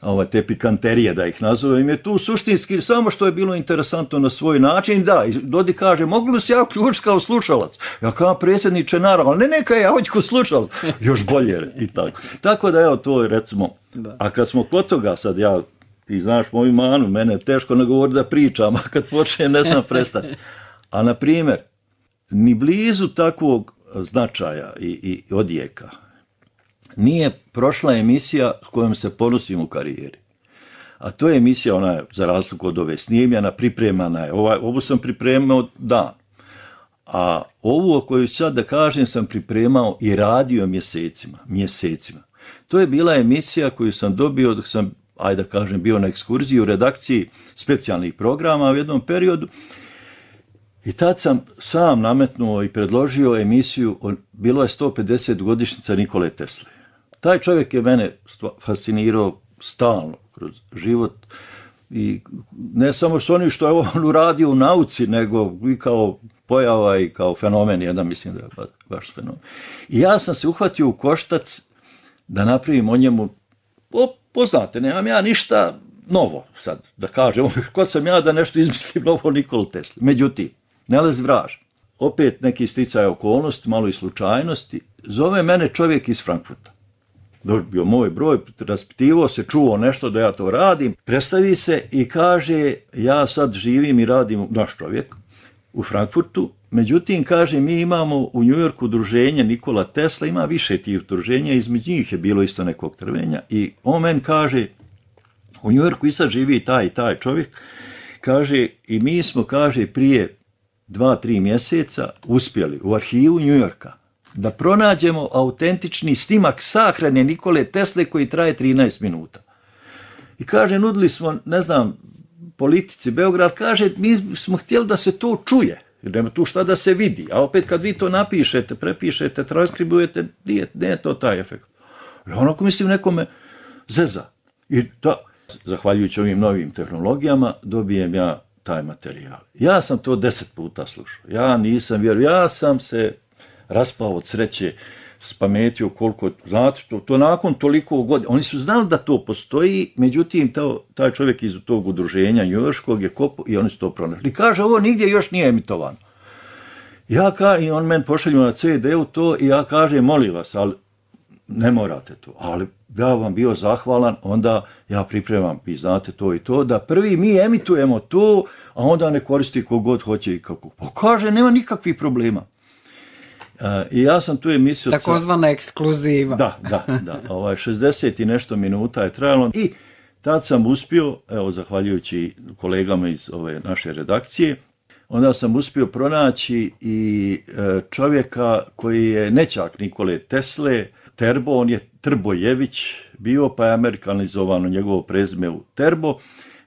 ove te pikanterije, da ih nazovem, je tu suštinski samo što je bilo interesantno na svoj način. Da, i Dodik kaže, mogu li se ja uključiti kao slušalac? Ja kao predsjedniče, naravno, ne neka ja hoću kao slušalac, još bolje i tako. Tako da evo to je recimo, da. A kad smo kod toga sad, ja, ti znaš moju manu, mene je teško nagovoriti da pričam, a kad počnem ne znam prestati. A na primjer, ni blizu takvog značaja i, i odjeka nije prošla emisija s kojom se ponosim u karijeri. A to je emisija, ona je, za razliku od ove snimljena, pripremana je. Ovaj, ovu sam pripremao dan. A ovu o kojoj sad da kažem sam pripremao i radio mjesecima. Mjesecima. To je bila emisija koju sam dobio dok sam, ajde da kažem, bio na ekskurziji u redakciji specijalnih programa u jednom periodu. I tad sam sam nametnuo i predložio emisiju, bilo je sto pedeset godišnjica Nikole Tesle. Taj čovjek je mene fascinirao stalno kroz život i ne samo s onim što je on uradio u nauci, nego i kao pojava i kao fenomen, jedan mislim da je baš fenomen. I ja sam se uhvatio u koštac da napravim o njemu, o, poznate, nemam ja ništa novo sad, da kažem, ko sam ja da nešto izmislim novo Nikolu Tesli. Međutim, Nelez Vraž, opet neki sticaj okolnosti, malo i slučajnosti, zove mene čovjek iz Frankfurta. Dobio moj broj, raspitivo se, čuo nešto da ja to radim, predstavi se i kaže, ja sad živim i radim, naš čovjek, u Frankfurtu, međutim, kaže, mi imamo u Njujorku udruženje Nikola Tesla, ima više tih udruženja, između njih je bilo isto nekog trvenja i on meni kaže, u Njujorku i sad živi taj i taj čovjek, kaže, i mi smo, kaže, prije dva, tri mjeseca uspjeli u arhivu Njujorka da pronađemo autentični snimak sahrane Nikole Tesle koji traje trinaest minuta. I kaže, nudili smo, ne znam, politici Beograd, kaže, mi smo htjeli da se to čuje, jer nema tu šta da se vidi, a opet kad vi to napišete, prepišete, transkribujete, nije, nije to taj efekt. I onako mislim nekome zeza. I da, zahvaljujući ovim novim tehnologijama, dobijem ja taj materijal. Ja sam to deset puta slušao. Ja nisam vjerovao. Ja sam se raspao od sreće, spametio koliko, znate, to, to nakon toliko godina. Oni su znali da to postoji, međutim, to, taj čovjek iz tog udruženja njujorškog je kopao i oni su to pronašli. I kaže, ovo nigdje još nije emitovano. Ja ka, i on meni pošalju na ce de u to i ja kažem, molim vas, ali ne morate to, ali ja vam bio zahvalan, onda ja pripremam, vi znate to i to, da prvi mi emitujemo to, a onda ne koristi kogod hoće i kako. Pa kaže, nema nikakvih problema. Uh, I ja sam tu emisiju... Takozvana ekskluziva. Da, da, da. Ovaj, šezdeset i nešto minuta je trajalo i tad sam uspio, evo, zahvaljujući kolegama iz ove naše redakcije, onda sam uspio pronaći i e, čovjeka koji je nećak Nikole Tesle, Terbo, on je Trbojević bio, pa je amerikanizovano njegovo prezime u Terbo.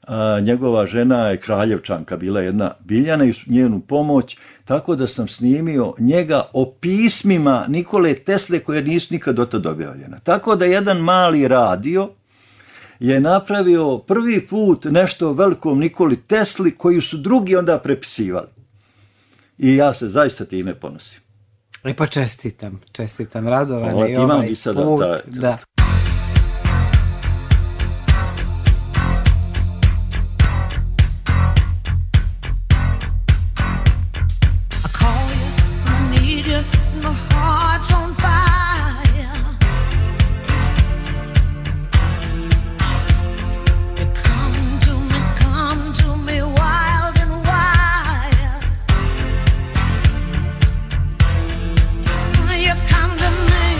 A, njegova žena je Kraljevčanka, bila jedna Biljana i njenu pomoć, tako da sam snimio njega o pismima Nikole Tesle koje nisu nikad do tada objavljena. Tako da jedan mali radio je napravio prvi put nešto velikom Nikoli Tesli koju su drugi onda prepisivali. I ja se zaista time ponosim. E pa čestitam, čestitam, Radovane Hvala, i ovaj i sada put. ta, ta. Da. You come to me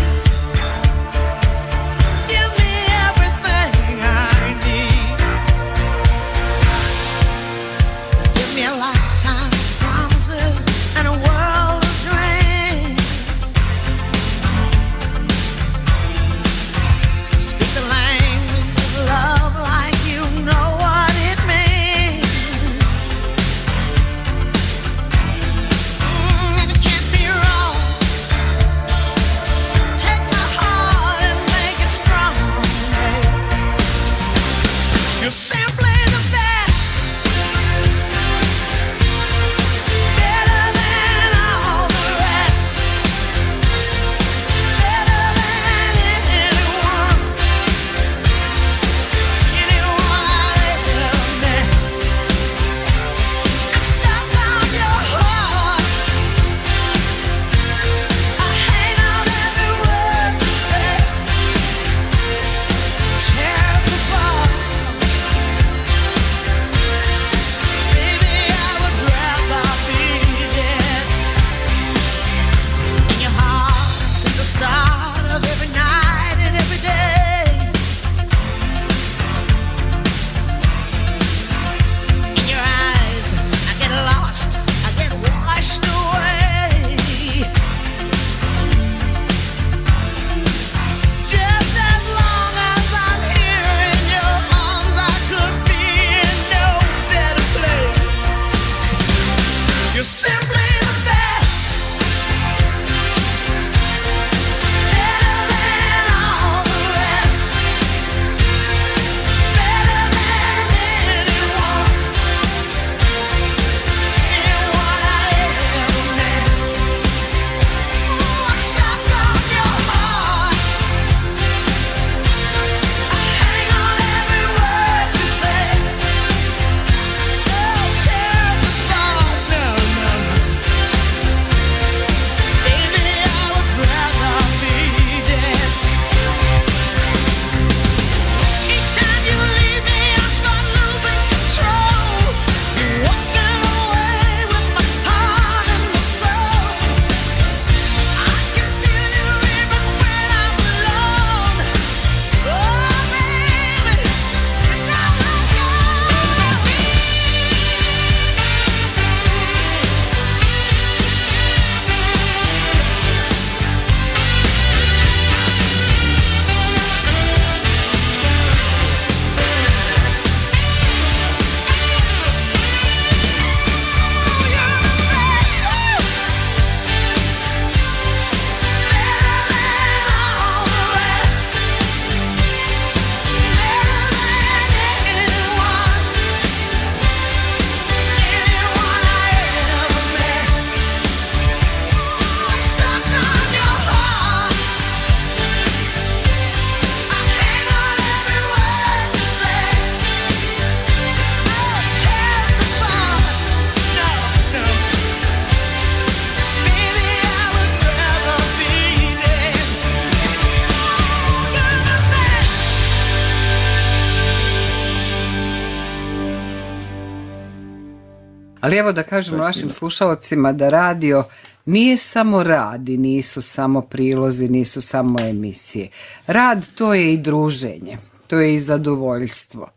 Ali evo da kažemo našim slušalcima da radio nije samo rad i nisu samo prilozi, nisu samo emisije. Rad to je i druženje, to je i zadovoljstvo,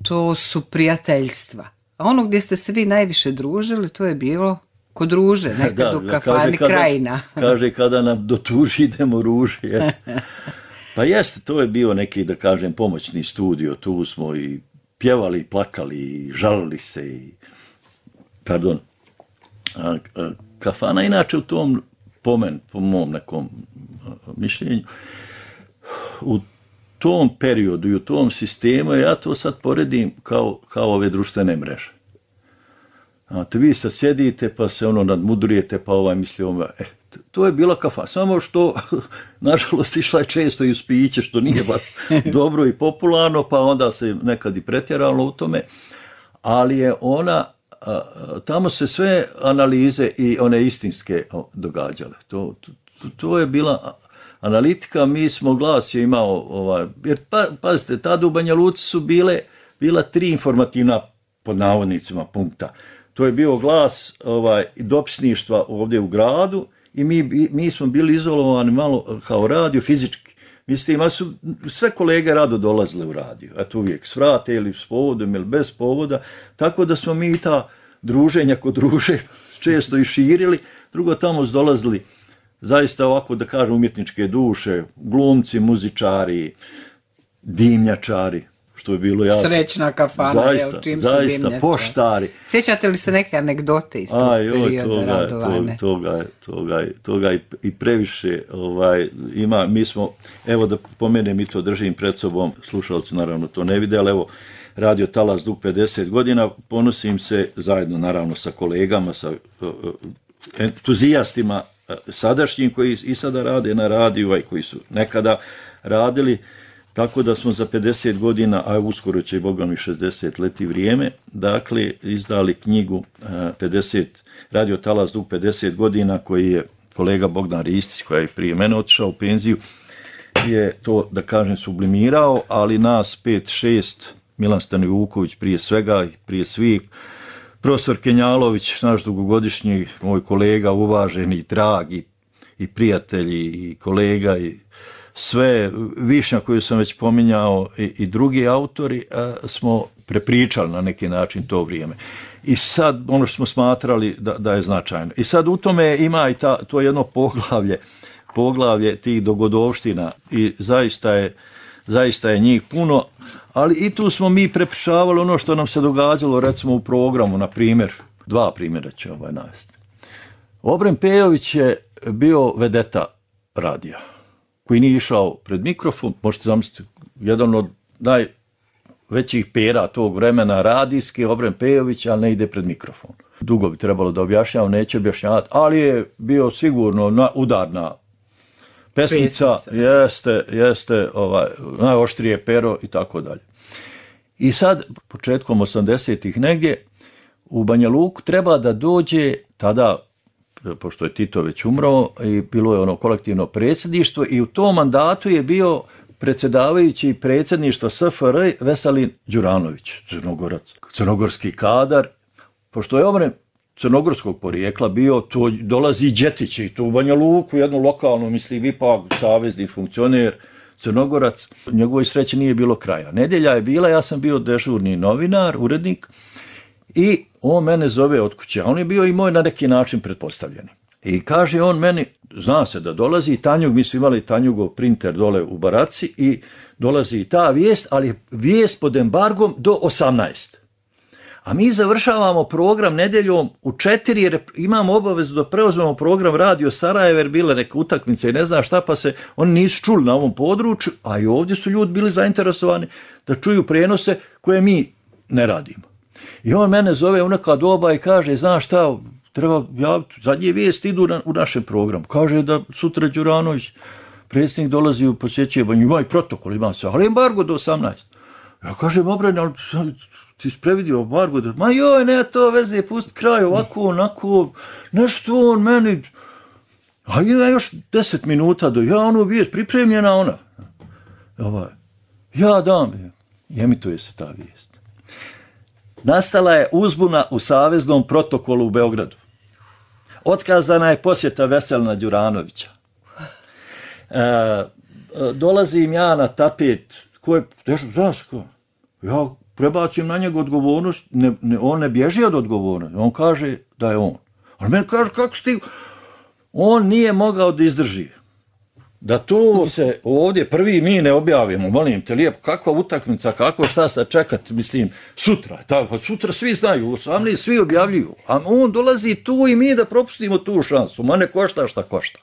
to su prijateljstva. A ono gdje ste se vi najviše družili, to je bilo kod Ruže, nekad da, u kafani kada, Krajina. Kaže, kada nam do tuži idemo Ruže. Jest. Pa jeste, to je bio neki, da kažem, pomoćni studio, tu smo i pjevali, i plakali, i žalili se, i, pardon, a, a, kafana inače u tom, po, men, po mom nekom mišljenju, u tom periodu i u tom sistemu, ja to sad poredim kao, kao ove društvene mreže. A te vi sad sjedite pa se ono nadmudrujete pa ovaj misli ovaj, e, to je bila kafana, samo što nažalost išla je često i u spiće, što nije baš dobro i popularno, pa onda se nekad i pretjeralo u tome, ali je ona, a, tamo se sve analize i one istinske događale. To, to, to je bila analitika, mi smo glas je imao, ovaj, jer pa, pazite, tada u Banja Luci su bile, bila tri informativna, pod navodnicima, punkta. To je bio glas ovaj, dopisništva ovdje u gradu i mi, mi smo bili izolovani malo kao radio fizički. Mislim, ima su sve kolege rado dolazile u radio, eto uvijek s vrate ili s povodom ili bez povoda, tako da smo mi ta druženja kod druže često i širili. Drugo, tamo su dolazili zaista ovako, da kažem, umjetničke duše, glumci, muzičari, dimnjačari, što je bilo jako. Srećna kafana, zaista, je, u čim zaista, su dimnjačari. Poštari. Sjećate li se neke anegdote iz tog perioda Radovane? Toga, toga, toga i, i previše ovaj, ima, mi smo, evo da pomenem i to držim pred sobom, slušalci naravno to ne vide, ali evo, Radio Talas dug pedeset godina, ponosim se zajedno naravno sa kolegama, sa uh, entuzijastima uh, sadašnjim koji i sada rade na radiju, i koji su nekada radili, tako da smo za pedeset godina, a uskoro će i Boga mi šezdeset leti vrijeme, dakle izdali knjigu uh, pedeset, Radio Talas dug pedeset godina, koji je kolega Bogdan Ristić, koji je prije mene otišao u penziju, je to, da kažem, sublimirao, ali nas pet šest, Milan Stanivuković prije svega i prije svih, profesor Kenjalović, naš dugogodišnji moj kolega, uvaženi, dragi i prijatelji i kolega i sve, Višnja koju sam već pominjao i, i drugi autori, a, smo prepričali na neki način to vrijeme. I sad ono što smo smatrali da, da je značajno. I sad u tome ima i ta, to jedno poglavlje, poglavlje tih dogodovština i zaista je, zaista je njih puno, ali i tu smo mi prepričavali ono što nam se događalo recimo u programu, na primjer, dva primjera će ovaj navesti. Obren Pejović je bio vedeta radija, koji nije išao pred mikrofon, možete zamisliti, jedan od najvećih pera tog vremena radijski, Obren Pejović, ali ne ide pred mikrofon. Dugo bi trebalo da objašnjavam, neće objašnjavati, ali je bio sigurno na, udarna pesnica, jeste, jeste ovaj, najoštrije pero i tako dalje. I sad, početkom osamdesetih negdje, u Banja Luku treba da dođe, tada, pošto je Tito već umro, i bilo je ono kolektivno predsjedništvo i u tom mandatu je bio predsjedavajući predsjedništva S F R Veselin Đuranović, Crnogorac, crnogorski kadar, pošto je Obren crnogorskog porijekla bio, to dolazi Đetić i to u Banja Luku, jednu lokalnu, mislim, ipak savezni funkcioner, Crnogorac. Njegovoj sreći nije bilo kraja. Nedjelja je bila, ja sam bio dežurni novinar, urednik, i on mene zove od kuće, a on je bio i moj na neki način pretpostavljeni. I kaže on meni, zna se da dolazi Tanjug, mi smo imali Tanjugov printer dole u baraci i dolazi i ta vijest, ali vijest pod embargom do osamnaest. A mi završavamo program nedjeljom u četiri, jer imamo obavezu da preuzmemo program Radio Sarajevo, jer bile neke utakmice i ne zna šta, pa se oni nisu čuli na ovom području, a i ovdje su ljudi bili zainteresovani da čuju prijenose koje mi ne radimo. I on mene zove u neka doba i kaže, znaš šta, treba javiti, zadnje vijesti idu na, u našem programu. Kaže da sutra Đuranović, predsjednik, dolazi u posjećuje Banju, ima i protokol, ima sve, ali embargo do osamnaest. Ja kažem, Obren, ali ti si previdio embargo, da, ma joj, ne to veze, pusti kraj, ovako, onako, nešto on meni, a ima još deset minuta do, ja ono vijest, pripremljena ona. Ovaj, ja dam, i emituje se ta vijest. nastala je uzbuna u Saveznom protokolu u Beogradu. Otkazana je posjeta Veselina Đuranovića. E, dolazim ja na tapet, ko je, znaš ko? Ja prebacim na njega odgovornost, ne, ne, on ne bježi od odgovornosti, on kaže da je on. On meni kaže, kako si ti? On nije mogao da izdrži. Da to se ovdje prvi mi ne objavimo, molim te lijepo, kakva utakmica, kako šta sad čekati, mislim, sutra, tako, sutra svi znaju, osamnaest svi objavljuju, a on dolazi tu i mi da propustimo tu šansu, ma ne košta šta košta.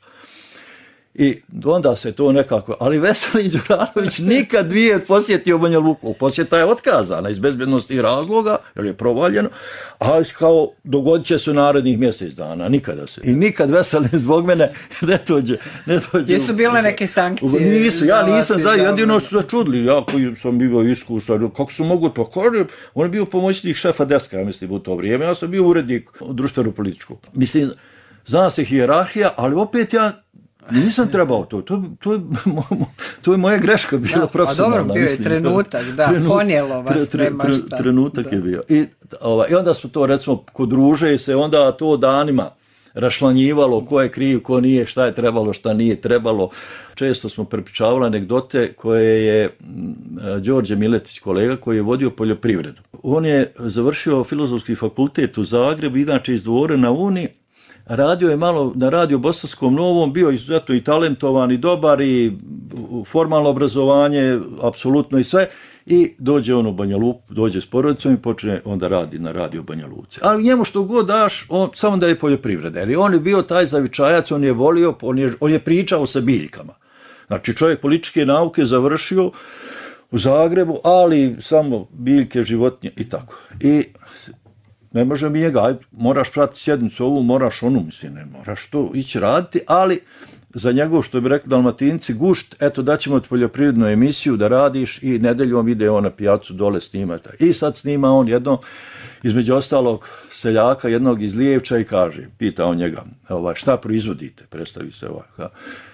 I onda se to nekako, ali Veselin Đuranović nikad nije posjetio Banja Luku. Posjeta je otkazana iz bezbjednostnih razloga, jer je provaljeno, ali kao dogodit će se u narednih mjesec dana, nikada se. I nikad Veselin zbog mene ne dođe. Ne dođe. Jesu bile neke sankcije? Nisu, ja nisam, za jedino su začudili, ja koji sam bio iskusan, kako su mogu to, kaže, on je bio pomoćnik šefa deska, ja mislim, u to vrijeme, ja sam bio urednik društveno-političkog. Mislim, zna se hijerarhija, ali opet ja nisam trebao to, to, to, je, to je moja greška bila profesionalna. A dobro, bio je mislim, trenutak, da, trenut, ponijelo vas, tre, tre, tre, šta. Trenutak da. je bio. I, ova, I onda smo to, recimo, kod druže se onda to danima rašlanjivalo ko je kriv, ko nije, šta je trebalo, šta nije trebalo. Često smo prepričavali anegdote koje je Đorđe Miletić, kolega, koji je vodio poljoprivredu. On je završio Filozofski fakultet u Zagrebu, inače iz Dvora na Uni. Radio je malo na Radio Bosanskom Novom, bio izuzetno i talentovan i dobar i formalno obrazovanje, apsolutno i sve. I dođe on u Banja Luku, dođe s porodicom i počne onda radi na Radio Banja Luci. Ali njemu što god daš, on, samo da je poljoprivreda. Jer on je bio taj zavičajac, on je volio, on je, on je pričao sa biljkama. Znači čovjek političke nauke završio u Zagrebu, ali samo biljke, životinje i tako. I ne može mi njega, ajde, moraš pratiti sjednicu ovu, moraš onu, mislim, ne moraš to ići raditi, ali za njegov, što bi rekli Dalmatinci, gušt, eto daćemo ti poljoprivrednu emisiju da radiš i nedeljom ide on na pijacu dole snimata. I sad snima on jedno, između ostalog seljaka, jednog iz Lijevča i kaže, pita on njega, ovaj, šta proizvodite, predstavi se ovaj, ha,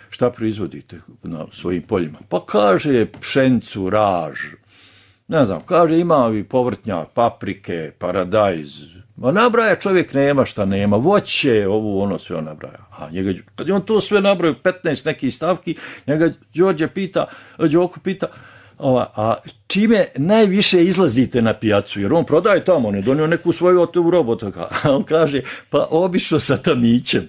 šta proizvodite na svojim poljima? Pa kaže pšenicu, raž, ne znam, kaže ima i povrtnjak, paprike, paradajz, ma nabraja čovjek nema šta nema, voće, ovo ono sve on nabraja. A njega, kad je on to sve nabraju, petnaest nekih stavki, njega Đorđe pita, Đoko pita, ova, a čime najviše izlazite na pijacu, jer on prodaje tamo, on je donio neku svoju otovu robota, a on kaže, pa obišao sa tamićem.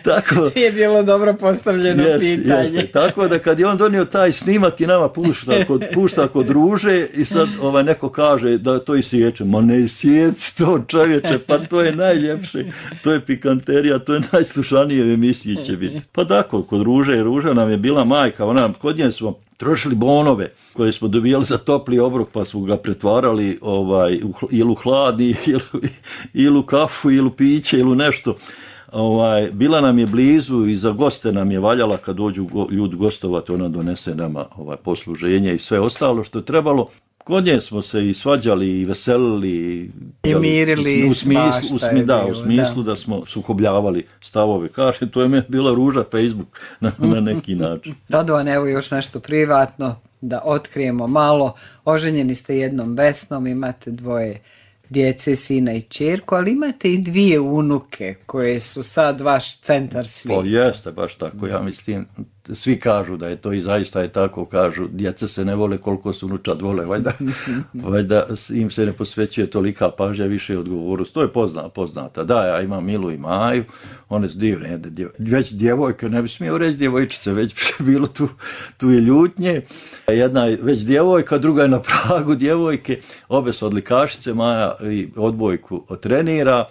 Tako je bilo dobro postavljeno jest, pitanje. Jeste. Tako da kad je on donio taj snimak i nama pušta kod, pušta kod druže i sad ovaj, neko kaže da to i sječe, ma ne sjeci to čovječe, pa to je najljepše, to je pikanterija, to je najslušanije emisije će biti. Pa tako, kod Ruže, Ruža nam je bila majka, ona, kod nje smo trošili bonove koje smo dobijali za topli obrok, pa smo ga pretvarali ovaj, ili u hladni, ili, ili u kafu, ili u piće, ili u nešto. Ovaj, bila nam je blizu i za goste nam je valjala kad dođu go, ljudi gostovati, ona donese nama ovaj, posluženje i sve ostalo što je trebalo. Kod nje smo se i svađali i veselili i mirili u smislu, u smislu, da, u smislu da. da smo sukobljavali stavove. Kaže, to je meni bila Ruža Facebook na, na neki način. Radovan, evo još nešto privatno da otkrijemo malo. Oženjeni ste jednom Vesnom, imate dvoje djece, sina i ćerku, ali imate i dvije unuke koje su sad vaš centar svijeta. Pa jeste, baš tako, ja mislim, svi kažu da je to i zaista je tako, kažu, djeca se ne vole koliko su unučad vole, valjda, valjda im se ne posvećuje tolika pažnja, više odgovornost, to je pozna, poznata. Da, ja imam Milu i Maju, one su divne, djev, već djevojke, ne bi smio reći djevojčice, već bilo tu, tu je ljutnje, jedna je već djevojka, druga je na pragu djevojke, obe su odlikašice, Maja i odbojku trenira,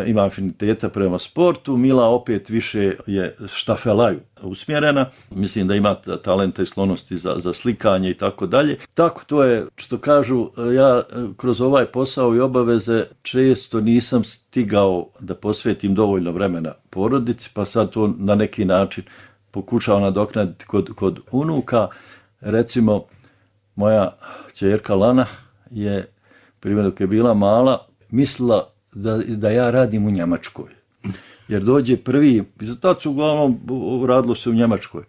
ima afiniteta prema sportu, Mila opet više je štafelaju usmjerena, mislim da ima talenta i sklonosti za, za slikanje i tako dalje. Tako to je, što kažu, ja kroz ovaj posao i obaveze često nisam stigao da posvetim dovoljno vremena porodici, pa sad to na neki način pokušao nadoknaditi kod, kod unuka. Recimo, moja ćerka Lana je, primjer dok je bila mala, mislila Da, da ja radim u Njemačkoj. Jer dođe prvi, tad su uglavnom radilo se u Njemačkoj,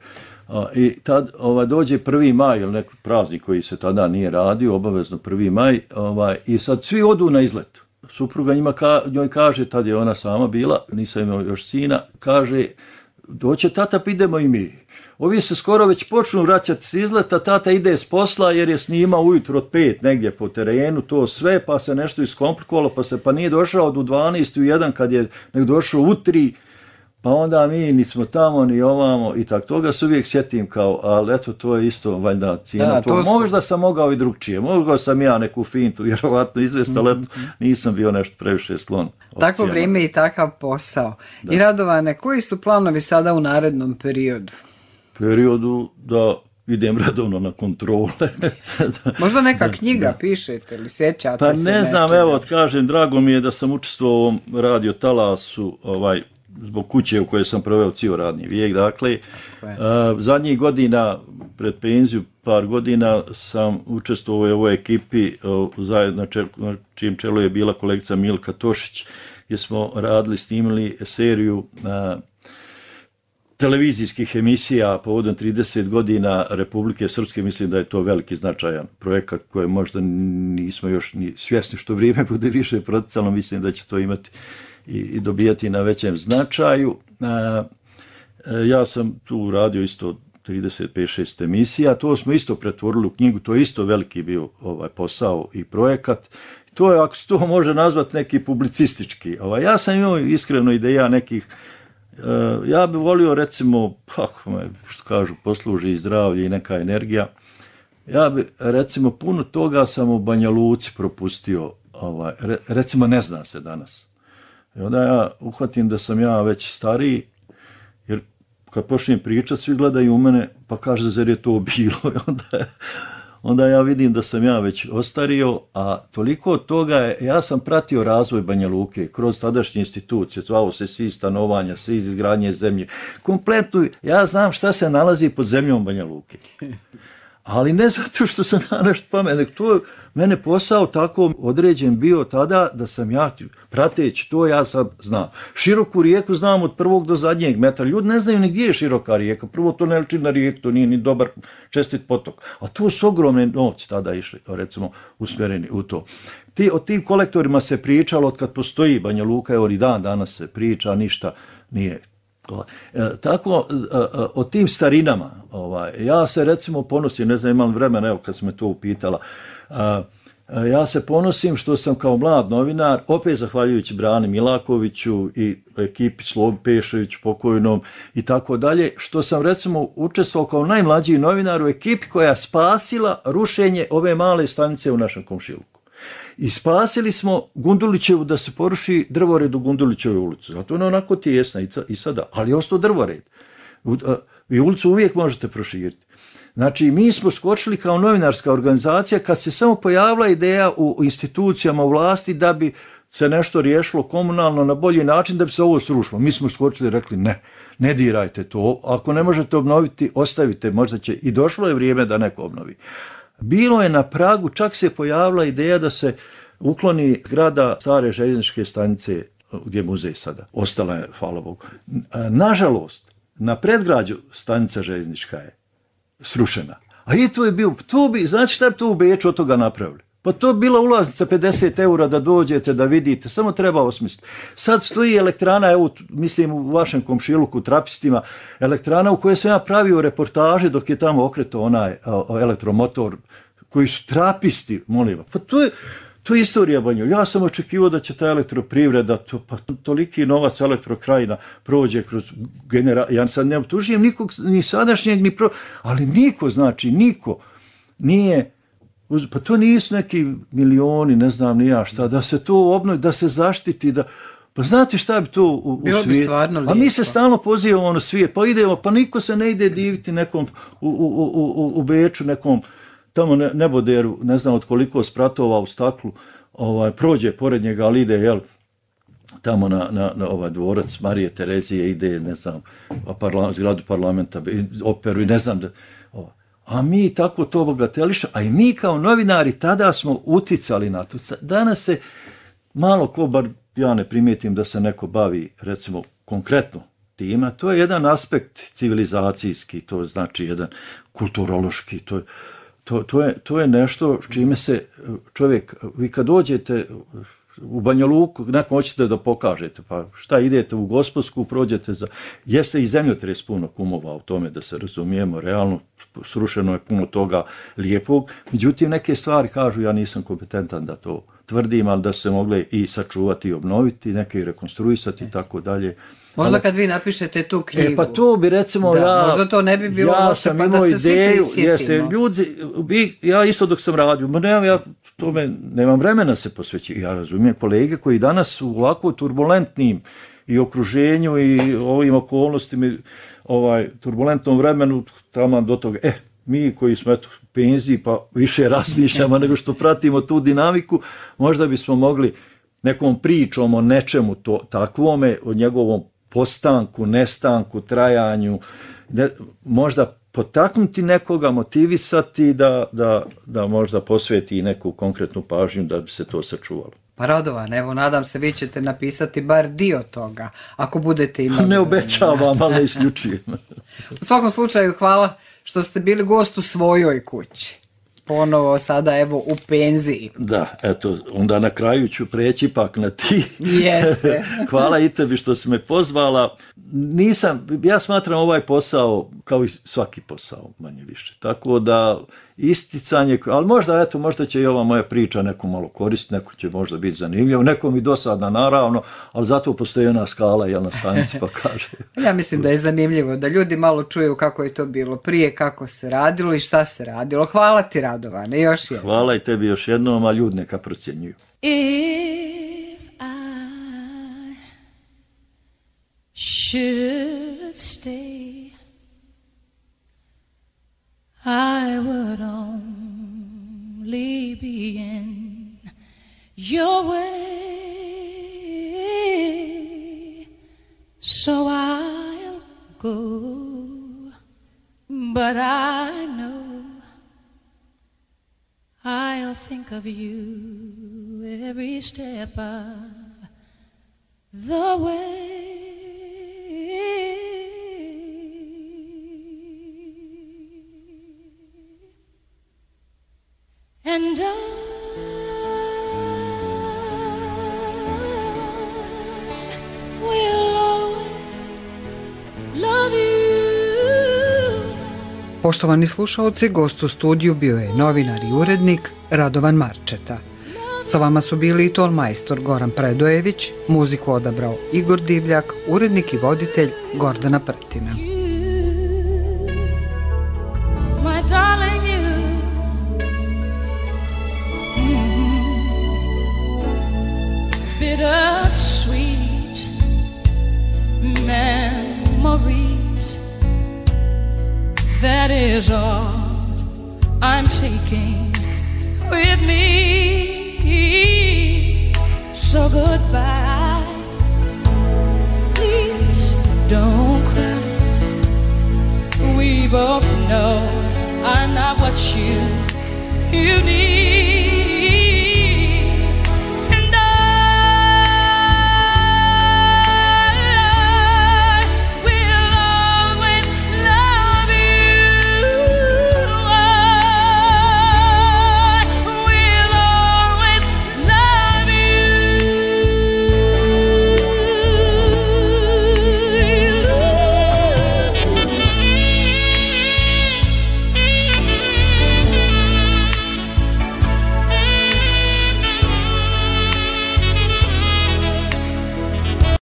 A, I tad ovaj, dođe prvi maj ili neki praznik koji se tada nije radio, obavezno prvi maj, ovaj, i sad svi odu na izlet. Supruga njima ka, njoj kaže, tad je ona sama bila, nisam imao još sina, kaže, doće tata, pa idemo i mi. Ovi se skoro već počnu vraćati s izleta, tata ide s posla jer je snimao ujutro od pet negdje po terenu, to sve, pa se nešto iskomplikovalo, pa se pa nije došao do dvanaest u jedan kad je nek došao u tri, pa onda mi nismo tamo ni ovamo i tako. Toga se uvijek sjetim kao, ali eto, to je isto valjda cijena. Da, to su... Možda sam mogao i drugčije, mogao sam ja neku fintu, vjerovatno izvesti, ali mm-hmm. nisam bio nešto previše slon. Takvo vrijeme i takav posao. Da. I Radovane, koji su planovi sada u narednom periodu? Periodu da idem redovno na kontrole. Možda neka knjiga da. Pišete ili sjećate pa se? Pa ne znam, evo, od kažem, drago mi je da sam učestvovao u ovom radio talasu, ovaj, zbog kuće u kojoj sam proveo cijel radni vijek. Dakle, uh, zadnjih godina, pred penziju, par godina, sam učestvovao u ovoj ekipi, uh, zajedno na čijem čelu je bila kolegica Milka Tošić, gdje smo radili, snimili seriju uh, televizijskih emisija povodom trideset godina Republike Srpske. Mislim da je to veliki značajan projekat koji možda nismo još ni svjesni što vrijeme bude više proticalo. Mislim da će to imati i, i dobijati na većem značaju. A, ja sam tu radio isto trideset pet šest emisija. To smo isto pretvorili u knjigu. To je isto veliki bio ovaj posao i projekat. To je, ako se to može nazvati, neki publicistički. Ovaj, ja sam imao iskreno ideja nekih. Uh, ja bih volio, recimo, kako me, što kažu, posluži i zdravlje i neka energija. Ja bih, recimo, puno toga sam u Banja Luci propustio, ovaj, re, recimo, ne zna se danas. I onda ja uhvatim da sam ja već stariji, jer kad počnem pričati, svi gledaju u mene, pa kaže, zar je to bilo? I onda, onda ja vidim da sam ja već ostario, a toliko od toga je, ja sam pratio razvoj Banja Luke kroz tadašnje institucije, zvao se svi stanovanja, svi izgradnje zemlje. Kompletno, ja znam šta se nalazi pod zemljom Banja Luke. Ali ne zato što sam ja nešto pametan, to je mene posao tako određen bio tada da sam ja prateći, to ja sad znam. Široku rijeku znam od prvog do zadnjeg metra. Ljudi ne znaju ni gdje je široka rijeka. Prvo to ne liči na rijeku, to nije ni dobar čestit potok. A tu su ogromne novci tada išli, recimo, usmjereni u to. Ti, o tim kolektorima se pričalo od kad postoji Banja Luka, evo i dan danas se priča, ništa nije. E, tako, o tim starinama, ovaj, ja se recimo ponosim, ne znam imam vremena, evo kad sam me to upitala, a, a, ja se ponosim što sam kao mlad novinar, opet zahvaljujući Brani Milakoviću i ekipi Slobi Pešović pokojnom i tako dalje, što sam recimo učestvovao kao najmlađi novinar u ekipi koja je spasila rušenje ove male stanice u našem komšiluku. I spasili smo Gundulićevu da se poruši drvored u Gundulićevoj ulicu. Zato ona onako tijesna i sada, ali je ostao drvored. I ulicu uvijek možete proširiti. Znači, mi smo skočili kao novinarska organizacija kad se samo pojavila ideja u institucijama u vlasti da bi se nešto riješilo komunalno na bolji način, da bi se ovo srušilo. Mi smo skočili i rekli ne, ne dirajte to. Ako ne možete obnoviti, ostavite, možda će. I došlo je vrijeme da neko obnovi. Bilo je na pragu, čak se pojavila ideja da se ukloni zgrada stare željezničke stanice gdje je muzej sada. Ostala je, hvala Bogu. Nažalost, na predgrađu stanica željeznička je srušena. A i to je bio, to bi, znači šta bi to u Beču od toga napravili? Pa to bi bila ulaznica pedeset eura da dođete, da vidite, samo treba osmisliti. Sad stoji elektrana, evo, mislim u vašem komšiluku, u Trapistima, elektrana u kojoj sam ja pravio reportaže dok je tamo okretao onaj elektromotor, koji su Trapisti, molim. Pa to je, to je istorija Banja. Ja sam očekivao da će ta elektroprivreda, to, pa toliki novac Elektrokrajina prođe kroz generacije. Ja sad ne optužujem nikog, ni sadašnjeg, ni pro... ali niko, znači, niko nije... Pa to nisu neki milioni, ne znam ni ja šta, da se to obnovi, da se zaštiti, da... Pa znate šta bi to u, u svijetu? A mi se stalno pozivamo na svijet, pa idemo, pa niko se ne ide diviti nekom u, u, u, u Beču, nekom tamo ne, neboderu, ne znam od koliko spratova u staklu, ovaj, prođe pored njega, ali ide, jel, tamo na, na, na ovaj dvorac Marije Terezije, ide, ne znam, parla, zgradu parlamenta, operu i ne znam da... Ovaj. A mi tako to bogateliša, a i mi kao novinari tada smo uticali na to. Danas se malo ko, bar ja ne primijetim da se neko bavi, recimo, konkretno tima, to je jedan aspekt civilizacijski, to znači jedan kulturološki, to, to, to, je, to je nešto čime se čovjek, vi kad dođete u Banja Luku, neko hoćete da pokažete, pa šta idete u Gospodsku, prođete za... Jeste i zemljotres puno kumova u tome, da se razumijemo, realno srušeno je puno toga lijepog, međutim neke stvari kažu, ja nisam kompetentan da to tvrdim, ali da se mogle i sačuvati i obnoviti, neke i rekonstruisati i tako dalje. Možda kad vi napišete tu knjigu. E, pa to bi recimo da, ja... Možda to ne bi bilo ja loše, sam pa imao da se ideju, svi jeste, ljudi, ja isto dok sam radio, ma nemam ja tome, nemam vremena se posvećiti. Ja razumijem kolege koji danas u ovako turbulentnim i okruženju i ovim okolnostima, ovaj, turbulentnom vremenu, tamo do toga, eh, mi koji smo eto, penziji pa više razmišljamo nego što pratimo tu dinamiku, možda bismo mogli nekom pričom o nečemu to, takvome, o njegovom postanku, nestanku, trajanju, ne, možda potaknuti nekoga, motivisati da, da, da možda posveti neku konkretnu pažnju da bi se to sačuvalo. Pa Radovan, evo, nadam se vi ćete napisati bar dio toga, ako budete imali... Ne obećavam, ali ne isključujem. U svakom slučaju, hvala što ste bili gost u svojoj kući. Ponovo sada, evo, u penziji. Da, eto, onda na kraju ću preći ipak na ti. Jeste. Hvala i tebi što si me pozvala. Nisam, ja smatram ovaj posao kao i svaki posao, manje više. Tako da isticanje, ali možda, eto, možda će i ova moja priča neku malo koristiti, neko će možda biti zanimljivo, nekom i dosadna naravno, ali zato postoji ona skala, jel, na stanici pa kaže. Ja mislim da je zanimljivo da ljudi malo čuju kako je to bilo prije, kako se radilo i šta se radilo. Hvala ti, Radovane, još jednom. Hvala i tebi još jednom, a ljudi neka procjenjuju. If I should stay, I would only be in your way, so I'll go, but I know I'll think of you every step of the way. And I will always love you. Poštovani slušaoci, gost u studiju bio je novinar i urednik Radovan Marčeta. Sa vama su bili i tonmajstor Goran Predojević, muziku odabrao Igor Divljak, urednik i voditelj Gordana Pretina. My darling, you. Bittersweet memories, that is all I'm taking with me. So goodbye, please don't cry. We both know I'm not what you, you need.